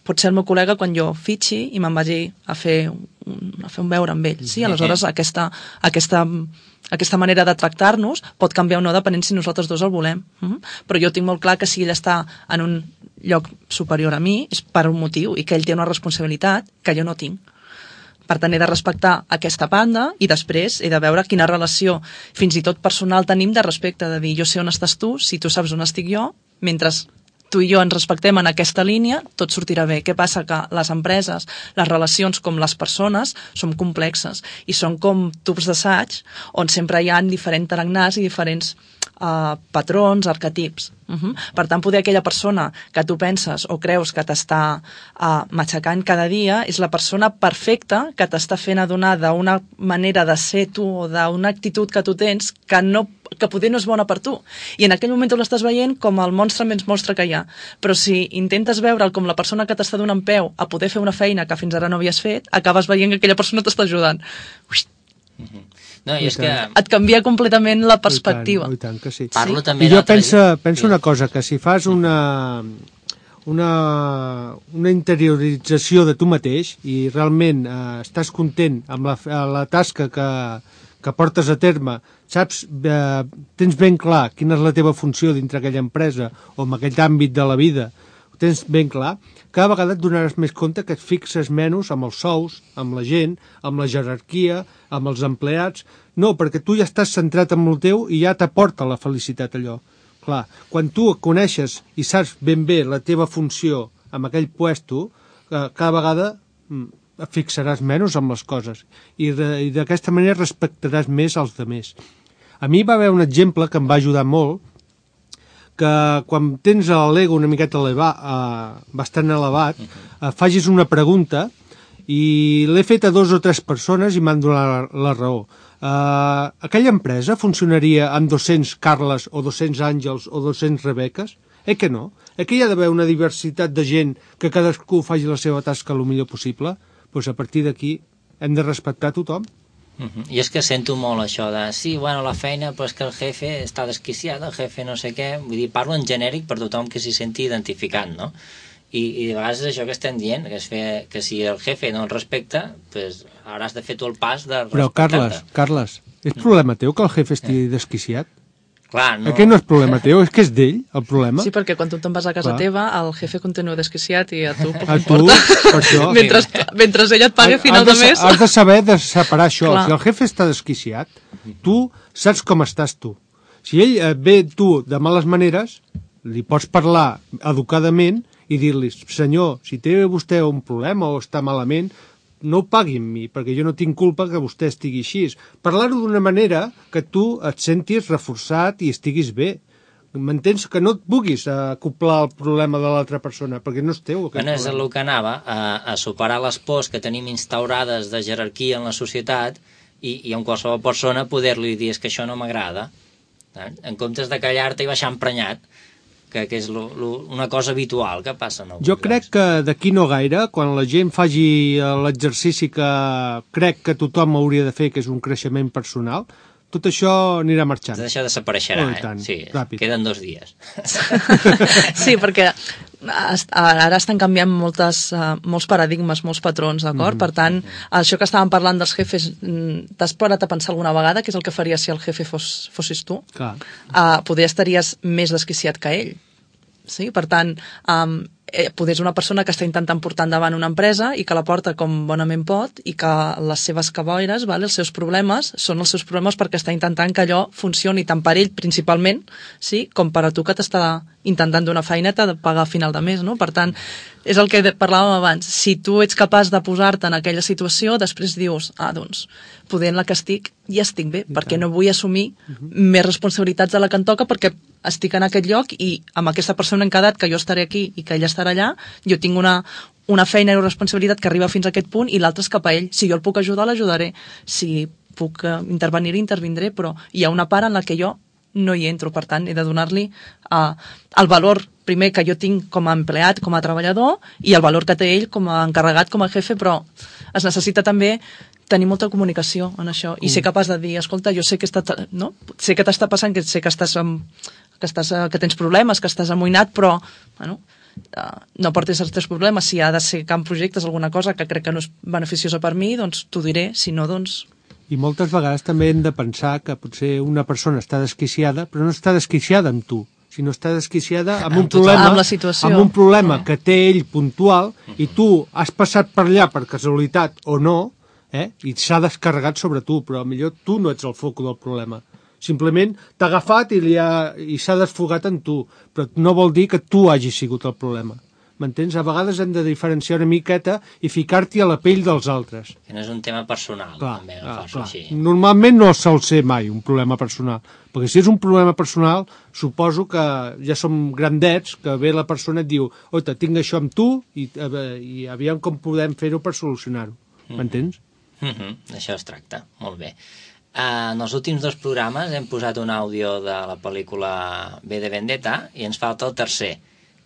Pot ser el meu col·lega quan jo fitxi i me'n vagi a fer un, a fer un veure amb ell. Sí? Aleshores, aquesta, aquesta, aquesta manera de tractar-nos pot canviar o no depenent si nosaltres dos el volem. Uh-huh. Però jo tinc molt clar que si ell està en un lloc superior a mi és per un motiu i que ell té una responsabilitat que jo no tinc. Per tant, he de respectar aquesta banda i després he de veure quina relació, fins i tot personal, tenim de respecte, de dir, jo sé on estàs tu, si tu saps on estic jo, mentre tu i jo ens respectem en aquesta línia, tot sortirà bé. Què passa? Que les empreses, les relacions com les persones, són complexes i són com tubs d'assaig on sempre hi ha diferents tarannars i diferents uh, patrons, arquetips. Uh-huh. Per tant, poder aquella persona que tu penses o creus que t'està uh, matxacant cada dia és la persona perfecta que t'està fent adonar d'una manera de ser tu o d'una actitud que tu tens que, no, que poder no és bona per tu. I en aquell moment tu l'estàs veient com el monstre menys monstre que hi ha. Però si intentes veure'l com la persona que t'està donant peu a poder fer una feina que fins ara no havies fet, acabes veient que aquella persona t'està ajudant. Uix. Uh-huh. No, i és que... Et canvia completament la perspectiva. I tant, i tant que sí. Parlo sí? també I jo penso, penso una cosa, que si fas una, una, una interiorització de tu mateix i realment eh, estàs content amb la, la tasca que, que portes a terme, saps, eh, tens ben clar quina és la teva funció dintre aquella empresa o en aquell àmbit de la vida, ho tens ben clar, cada vegada et donaràs més compte que et fixes menys amb els sous, amb la gent, amb la jerarquia, amb els empleats. No, perquè tu ja estàs centrat en el teu i ja t'aporta la felicitat allò. Clar, quan tu coneixes i saps ben bé la teva funció amb aquell puesto, eh, cada vegada et fixaràs menys amb les coses i, de, i d'aquesta manera respectaràs més als altres. A mi va haver un exemple que em va ajudar molt, que quan tens l'ego una miqueta elevat, eh, bastant elevat, eh, facis una pregunta i l'he fet a dos o tres persones i m'han donat la, la raó. Eh, aquella empresa funcionaria amb dos-cents Carles o dos-cents Àngels o dos-cents Rebeques? Eh que no? Eh que hi ha d'haver una diversitat de gent que cadascú faci la seva tasca el millor possible? Doncs a partir d'aquí hem de respectar tothom. Uh-huh. I és que sento molt això de sí, bueno, la feina, però és que el jefe està desquiciat, el jefe no sé què, vull dir, parlo en genèric per tothom que s'hi senti identificat, no? I, i de vegades és això que estem dient, que, és fer, que si el jefe no el respecta, pues hauràs de fer tu el pas de respectar-te. Però Carles, Carles, és problema teu que el jefe estigui desquiciat? Clar, no... Aquest no és problema teu, és que és d'ell, el problema. Sí, perquè quan tu te'n vas a casa Clar. teva, el jefe continua desquiciat i a tu poc a importa. Tu, per això. mentre, mentre ell et paga a final de, de mes... Has de saber de separar això. Clar. Si el jefe està desquiciat, tu saps com estàs tu. Si ell et ve tu de males maneres, li pots parlar educadament i dir-li, senyor, si té vostè un problema o està malament, no ho pagui amb mi, perquè jo no tinc culpa que vostè estigui així. Parlar-ho d'una manera que tu et sentis reforçat i estiguis bé. M'entens? Que no et puguis acoplar el problema de l'altra persona, perquè no és teu. Bueno, és el que anava, a, a superar les pors que tenim instaurades de jerarquia en la societat i, i amb qualsevol persona poder-li dir és que això no m'agrada, eh? En comptes de callar-te i baixar emprenyat, que, que és lo, lo, una cosa habitual que passa. No? Jo crec que d'aquí no gaire, quan la gent faci l'exercici que crec que tothom hauria de fer, que és un creixement personal, tot això anirà marxant. Tot això desapareixerà, oh, eh? Sí, ràpid. Queden dos dies. Sí, perquè ara estan canviant moltes, uh, molts paradigmes, molts patrons, d'acord? Mm-hmm. Per tant, això que estàvem parlant dels jefes, t'has parat a pensar alguna vegada què és el que faries si el jefe fos, fossis tu? Clar. Uh, poder estaries més desquiciat que ell. Sí? Per tant, um, eh, poder és una persona que està intentant portar endavant una empresa i que la porta com bonament pot i que les seves caboires, vale, els seus problemes, són els seus problemes perquè està intentant que allò funcioni tant per ell principalment, sí, com per a tu que t'està intentant donar feineta de pagar a final de mes, no? Per tant, és el que parlàvem abans. Si tu ets capaç de posar-te en aquella situació, després dius, ah, doncs, poder en la que estic, ja estic bé, perquè no vull assumir uh-huh. més responsabilitats de la que em toca perquè estic en aquest lloc i amb aquesta persona hem quedat que jo estaré aquí i que ella estarà allà, jo tinc una, una feina i una responsabilitat que arriba fins a aquest punt i l'altre és cap a ell. Si jo el puc ajudar, l'ajudaré. Si puc uh, intervenir, intervindré, però hi ha una part en la que jo no hi entro, per tant, he de donar-li uh, el valor primer que jo tinc com a empleat, com a treballador, i el valor que té ell com a encarregat, com a jefe, però es necessita també tenir molta comunicació en això, i mm. ser capaç de dir, escolta, jo sé que, està, no? sé que t'està passant, que sé que estàs, amb, que, estàs que tens problemes, que estàs amoïnat, però bueno, uh, no portis els teus problemes. Si ha de ser camp projectes, alguna cosa que crec que no és beneficiosa per mi, doncs t'ho diré, si no, doncs... I moltes vegades també hem de pensar que potser una persona està desquiciada, però no està desquiciada amb tu, sinó està desquiciada amb un problema, amb la situació. Amb un problema que té ell puntual i tu has passat per allà per casualitat o no, eh? I s'ha descarregat sobre tu, però millor tu no ets el foc del problema. Simplement t'ha agafat i, li ha, i s'ha desfogat en tu, però no vol dir que tu hagis sigut el problema. M'entens? A vegades hem de diferenciar una miqueta i ficar-t'hi a la pell dels altres. Que no és un tema personal, clar, també, clar, clar. Així. Normalment no sol ser mai un problema personal, perquè si és un problema personal, suposo que ja som grandets, que ve la persona et diu, oita, tinc això amb tu i, i aviam com podem fer-ho per solucionar-ho. M'entens? Mm -hmm. Això es tracta, molt bé. Uh, en els últims dos programes hem posat un àudio de la pel·lícula V de Vendetta i ens falta el tercer,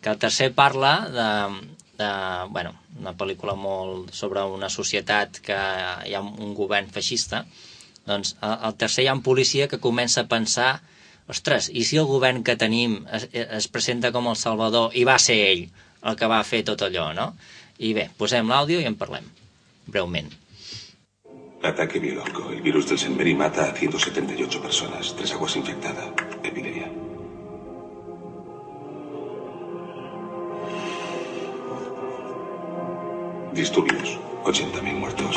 que el tercer parla de, de bueno, una pel·lícula molt sobre una societat que hi ha un govern feixista. Doncs al tercer hi ha un policia que comença a pensar, ostres, i si el govern que tenim es, es presenta com el salvador i va ser ell el que va fer tot allò, no? I bé, posem l'àudio i en parlem, breument. Ataque biológico. El virus del Saint Mary mata a ciento setenta y ocho personas. Tres aguas infectadas. Epidemia. Disturbios. ochenta mil muertos.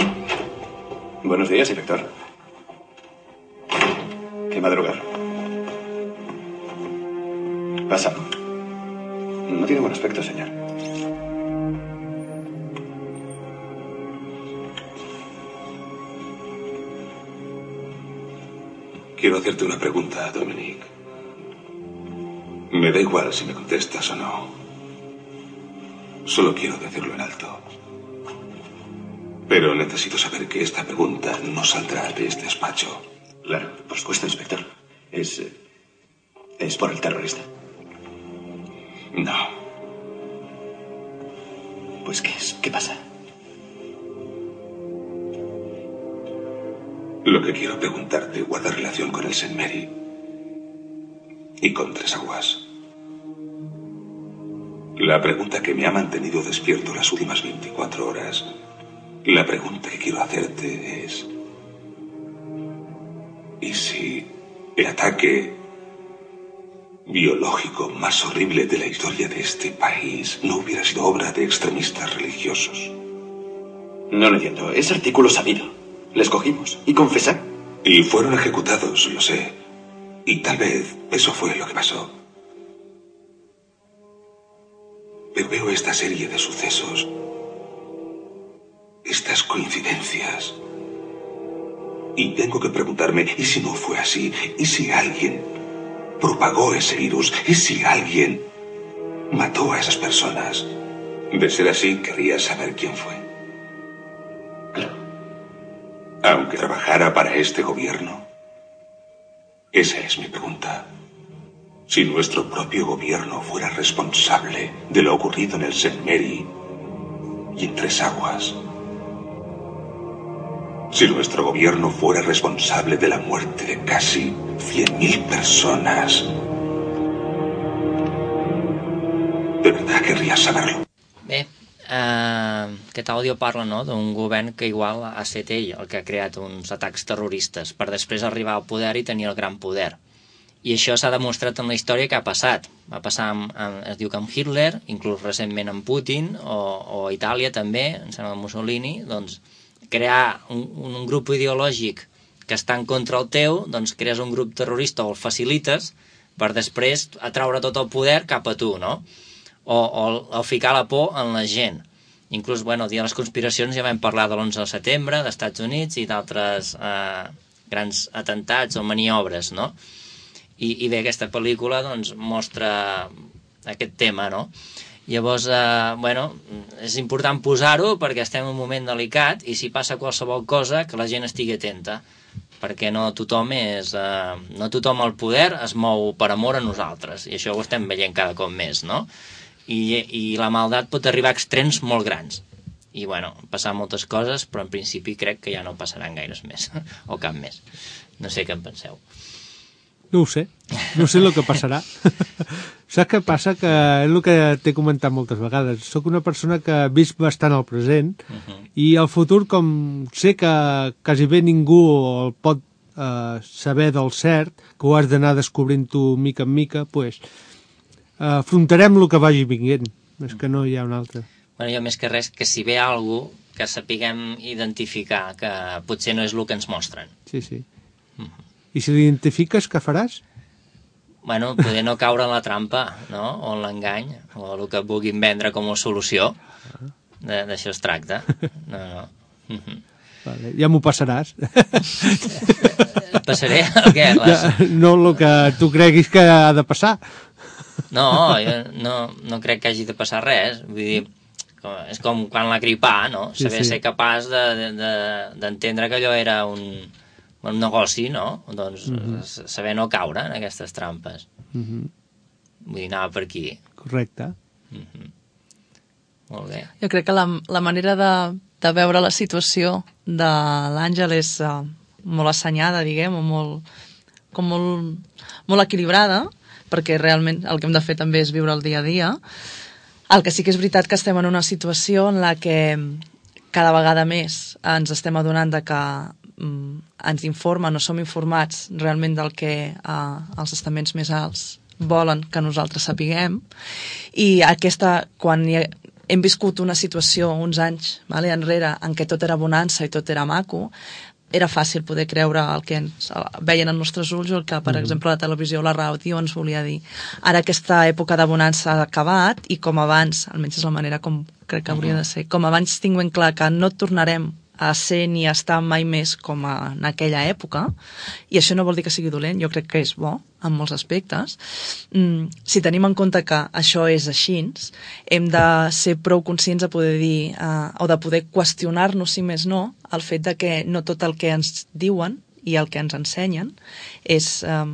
Buenos días, inspector. ¿Qué madrugar? Pasa. No tiene buen aspecto, señor. Quiero hacerte una pregunta, Dominic. Me da igual si me contestas o no. Solo quiero decirlo en alto. Pero necesito saber que esta pregunta no saldrá de este despacho. Claro, por supuesto, inspector. Es... es por el terrorista. No. Pues, ¿qué es? ¿Qué pasa? Lo que quiero preguntarte guarda relación con el Saint Mary y con Tres Aguas. La pregunta que me ha mantenido despierto las últimas veinticuatro horas, la pregunta que quiero hacerte es: ¿y si el ataque biológico más horrible de la historia de este país no hubiera sido obra de extremistas religiosos? No lo entiendo. Es artículo sabido. Les cogimos y confesaron. Y fueron ejecutados, lo sé. Y tal vez eso fue lo que pasó. Pero veo esta serie de sucesos, estas coincidencias, y tengo que preguntarme, ¿y si no fue así? ¿Y si alguien propagó ese virus? ¿Y si alguien mató a esas personas? De ser así, querría saber quién fue. Claro. Aunque trabajara para este gobierno. Esa es mi pregunta. Si nuestro propio gobierno fuera responsable de lo ocurrido en el Saint Mary y en Tres Aguas. Si nuestro gobierno fuera responsable de la muerte de casi cien mil personas. De verdad querría saberlo. Bé, eh, aquest àudio parla, no?, d'un govern que igual ha estat ell el que ha creat uns atacs terroristes per després arribar al poder i tenir el gran poder. I això s'ha demostrat en la història que ha passat. Va passar, amb, amb, es diu que amb Hitler, inclús recentment amb Putin, o, o a Itàlia també, em sembla Mussolini, doncs crear un, un grup ideològic que està en contra el teu, doncs crees un grup terrorista o el facilites per després atraure tot el poder cap a tu, no? O, o, o ficar la por en la gent. Inclús, bueno, el dia de les conspiracions ja vam parlar de l'onze de setembre, dels Estats Units i d'altres eh, grans atentats o maniobres, no? I, i bé, aquesta pel·lícula doncs mostra aquest tema, no? Llavors, eh, bueno, és important posar-ho perquè estem en un moment delicat i si passa qualsevol cosa que la gent estigui atenta, perquè no tothom és, eh, no tothom al poder es mou per amor a nosaltres i això ho estem veient cada cop més, no? I, i la maldat pot arribar a extrems molt grans i bueno, passar moltes coses però en principi crec que ja no passaran gaires més o cap més, no sé què en penseu. No ho sé, no sé el que passarà. Saps què passa? Que és el que t'he comentat moltes vegades. Soc una persona que ha vist bastant el present uh-huh. i el futur, com sé que quasi bé ningú el pot eh, saber del cert, que ho has d'anar descobrint tu mica en mica, pues, eh, afrontarem el que vagi vinguent. És que no hi ha un altre. Bueno, jo més que res, que si ve alguna cosa, que sapiguem identificar, que potser no és el que ens mostren. Sí, sí. Uh-huh. I si l'identifiques, què faràs? Bueno, poder no caure en la trampa, no? O en l'engany, o el que vulguin vendre com a solució. D'això es tracta. No, no. Uh-huh. Vale, ja m'ho passaràs. Passaré? El què? Les... Ja, no el que tu creguis que ha de passar. No, jo no, no crec que hagi de passar res. Vull dir, és com quan la gripà, no? Saber sí, sí. ser capaç de, de, d'entendre que allò era un... un negoci, no? Doncs uh-huh. saber no caure en aquestes trampes. Uh-huh. Vull dir, anava per aquí. Correcte. Uh-huh. Molt bé. Jo crec que la, la manera de, de veure la situació de l'Àngel és uh, molt assenyada, diguem, o molt, com molt, molt equilibrada, perquè realment el que hem de fer també és viure el dia a dia. El que sí que és veritat que estem en una situació en la que cada vegada més ens estem adonant de que ens informen o som informats realment del que eh, els estaments més alts volen que nosaltres sapiguem i aquesta, quan hi ha, hem viscut una situació uns anys vale, enrere en què tot era bonança i tot era maco, era fàcil poder creure el que ens veien els nostres ulls o el que, per mm. exemple, la televisió o la ràdio ens volia dir. Ara aquesta època de bonança ha acabat i com abans, almenys és la manera com crec que hauria de ser, com abans tinc ben clar que no tornarem a ser ni a estar mai més com a, en aquella època, i això no vol dir que sigui dolent, jo crec que és bo en molts aspectes. Mm, si tenim en compte que això és així, hem de ser prou conscients de poder dir, eh, o de poder qüestionar-nos, si més no, el fet de que no tot el que ens diuen i el que ens ensenyen és... Eh,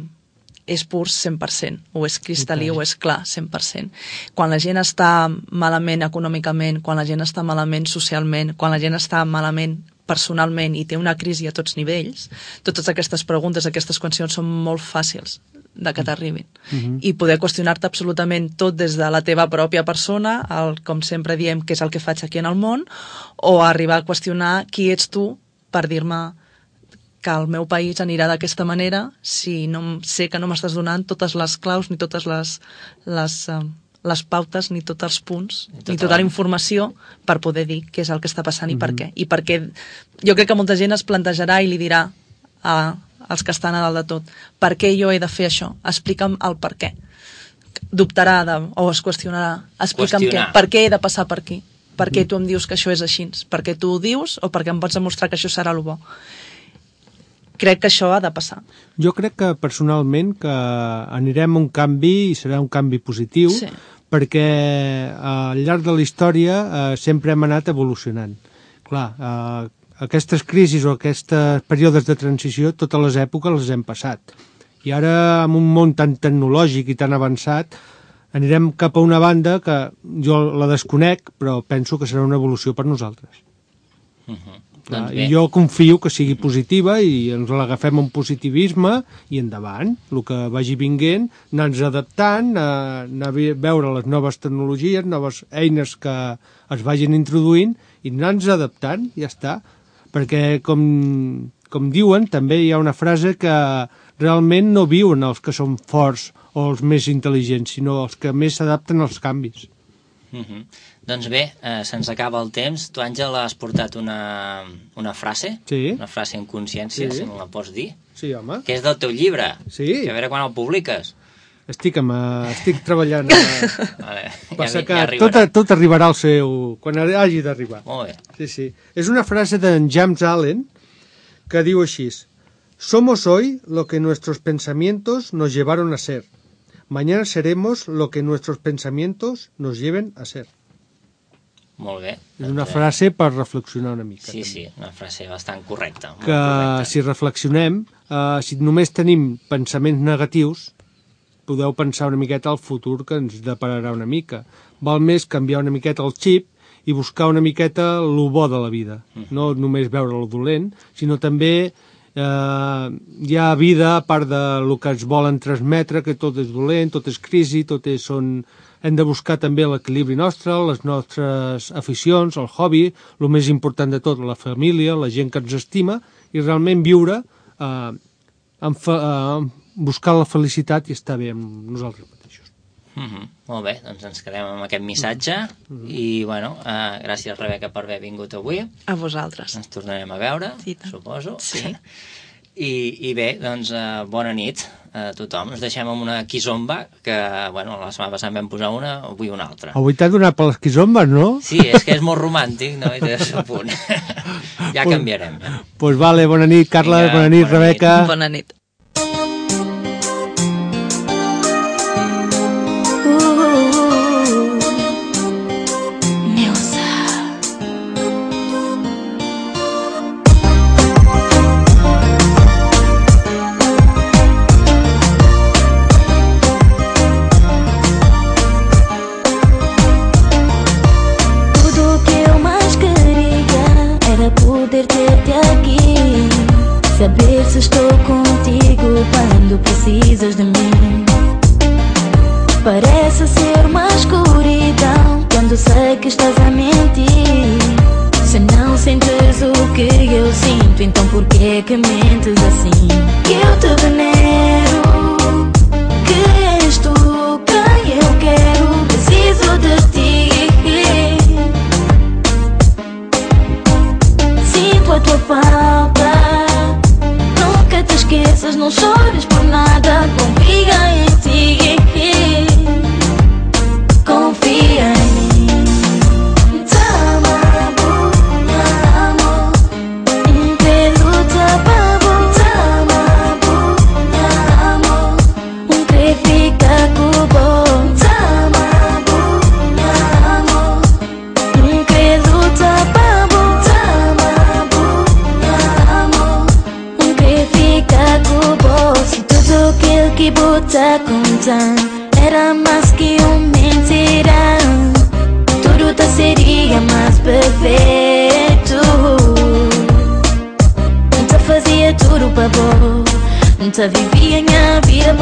és pur cent per cent, o és cristal·lí o és clar cent per cent. Quan la gent està malament econòmicament, quan la gent està malament socialment, quan la gent està malament personalment i té una crisi a tots nivells, totes aquestes preguntes, aquestes qüestions són molt fàcils de que t'arribin. Uh-huh. I poder qüestionar-te absolutament tot des de la teva pròpia persona, el, com sempre diem, què és el que faig aquí en el món, o arribar a qüestionar qui ets tu per dir-me que el meu país anirà d'aquesta manera si no sé que no m'estàs donant totes les claus ni totes les, les, uh, les pautes ni tots els punts tota ni tota la informació per poder dir què és el que està passant mm-hmm. i per què. I perquè jo crec que molta gent es plantejarà i li dirà a, els que estan a dalt de tot. Per què jo he de fer això? Explica'm el per què. Dubtarà de, o es qüestionarà. Explica'm què. Per què he de passar per aquí? Per què tu em dius que això és així? Per què tu ho dius o perquè em pots demostrar que això serà el bo? Crec que això ha de passar. Jo crec que personalment que anirem a un canvi i serà un canvi positiu, sí. perquè al llarg de la història eh, sempre hem anat evolucionant. Clar, eh, aquestes crisis o aquests períodes de transició, totes les èpoques les hem passat. I ara, amb un món tan tecnològic i tan avançat, anirem cap a una banda que jo la desconec, però penso que serà una evolució per nosaltres. Uh-huh. Clar, doncs I jo confio que sigui positiva i ens l'agafem amb positivisme i endavant, el que vagi vinguent, anar-nos adaptant, anar a veure les noves tecnologies, noves eines que es vagin introduint i anar-nos adaptant, ja està. Perquè, com, com diuen, també hi ha una frase que realment no viuen els que són forts o els més intel·ligents, sinó els que més s'adapten als canvis. Uh-huh. Doncs bé, eh, se'ns acaba el temps. Tu, Àngel, has portat una, una frase, sí. una frase en consciència, sí. si me la pots dir. Sí, home. Que és del teu llibre. Sí. Que a veure quan el publiques. Estic, amb, estic treballant a, vale. per ja, sacar. ja tot, tot arribarà al seu... quan hagi d'arribar. Molt bé. Sí, sí. És una frase d'en James Allen que diu així: Somos hoy lo que nuestros pensamientos nos llevaron a ser. Mañana seremos lo que nuestros pensamientos nos lleven a ser. Molt bé. És una frase per reflexionar una mica. Sí, també. sí, una frase bastant correcta. Que correcta. si reflexionem, eh, si només tenim pensaments negatius, podeu pensar una miqueta al futur que ens depararà una mica. Val més canviar una miqueta el xip i buscar una miqueta el bo de la vida. Uh-huh. No només veure el dolent, sinó també eh, hi ha vida a part del que ens volen transmetre, que tot és dolent, tot és crisi, tot és... Són... Hem de buscar també l'equilibri nostre, les nostres aficions, el hobby, el més important de tot, la família, la gent que ens estima, i realment viure, eh, en fa, eh, buscar la felicitat i estar bé amb nosaltres mateixos. Mm-hmm. Molt bé, doncs ens quedem amb aquest missatge mm-hmm. i, bueno, eh, gràcies, Rebeca, per haver vingut avui. A vosaltres. Ens tornarem a veure, sí, suposo. Sí. I, I bé, doncs, eh, bona nit a tothom. Ens deixem amb una quizomba, que, bueno, la setmana passada vam posar una, avui una altra. Avui t'ha donat per les quizombes, no? Sí, és que és molt romàntic, no? I té el seu punt. Ja canviarem. Ja. Doncs pues vale, bona nit, Carla, Vinga, bona nit, bona Rebeca. Nit. Bona nit. Saber se estou contigo quando precisas de mim. Parece ser uma escuridão quando sei que estás a mentir. Se não sentes o que eu sinto, então por que que mentes assim? Eu te venero, que és tu quem eu quero, preciso de ti. Sinto a tua falta. Te esqueças, não chores por nada, confia em ti, confia em mim. Te amo, amo, pelo te amo, te amo, amo, um que fica com bom. Te amo, amo, pelo te amo, te amo, um que fica com bom. Se tudo aquilo que bota contar era mais que uma mentira, tudo tá seria mais perfeito. Te fazia tudo pra bom, te vivia minha vida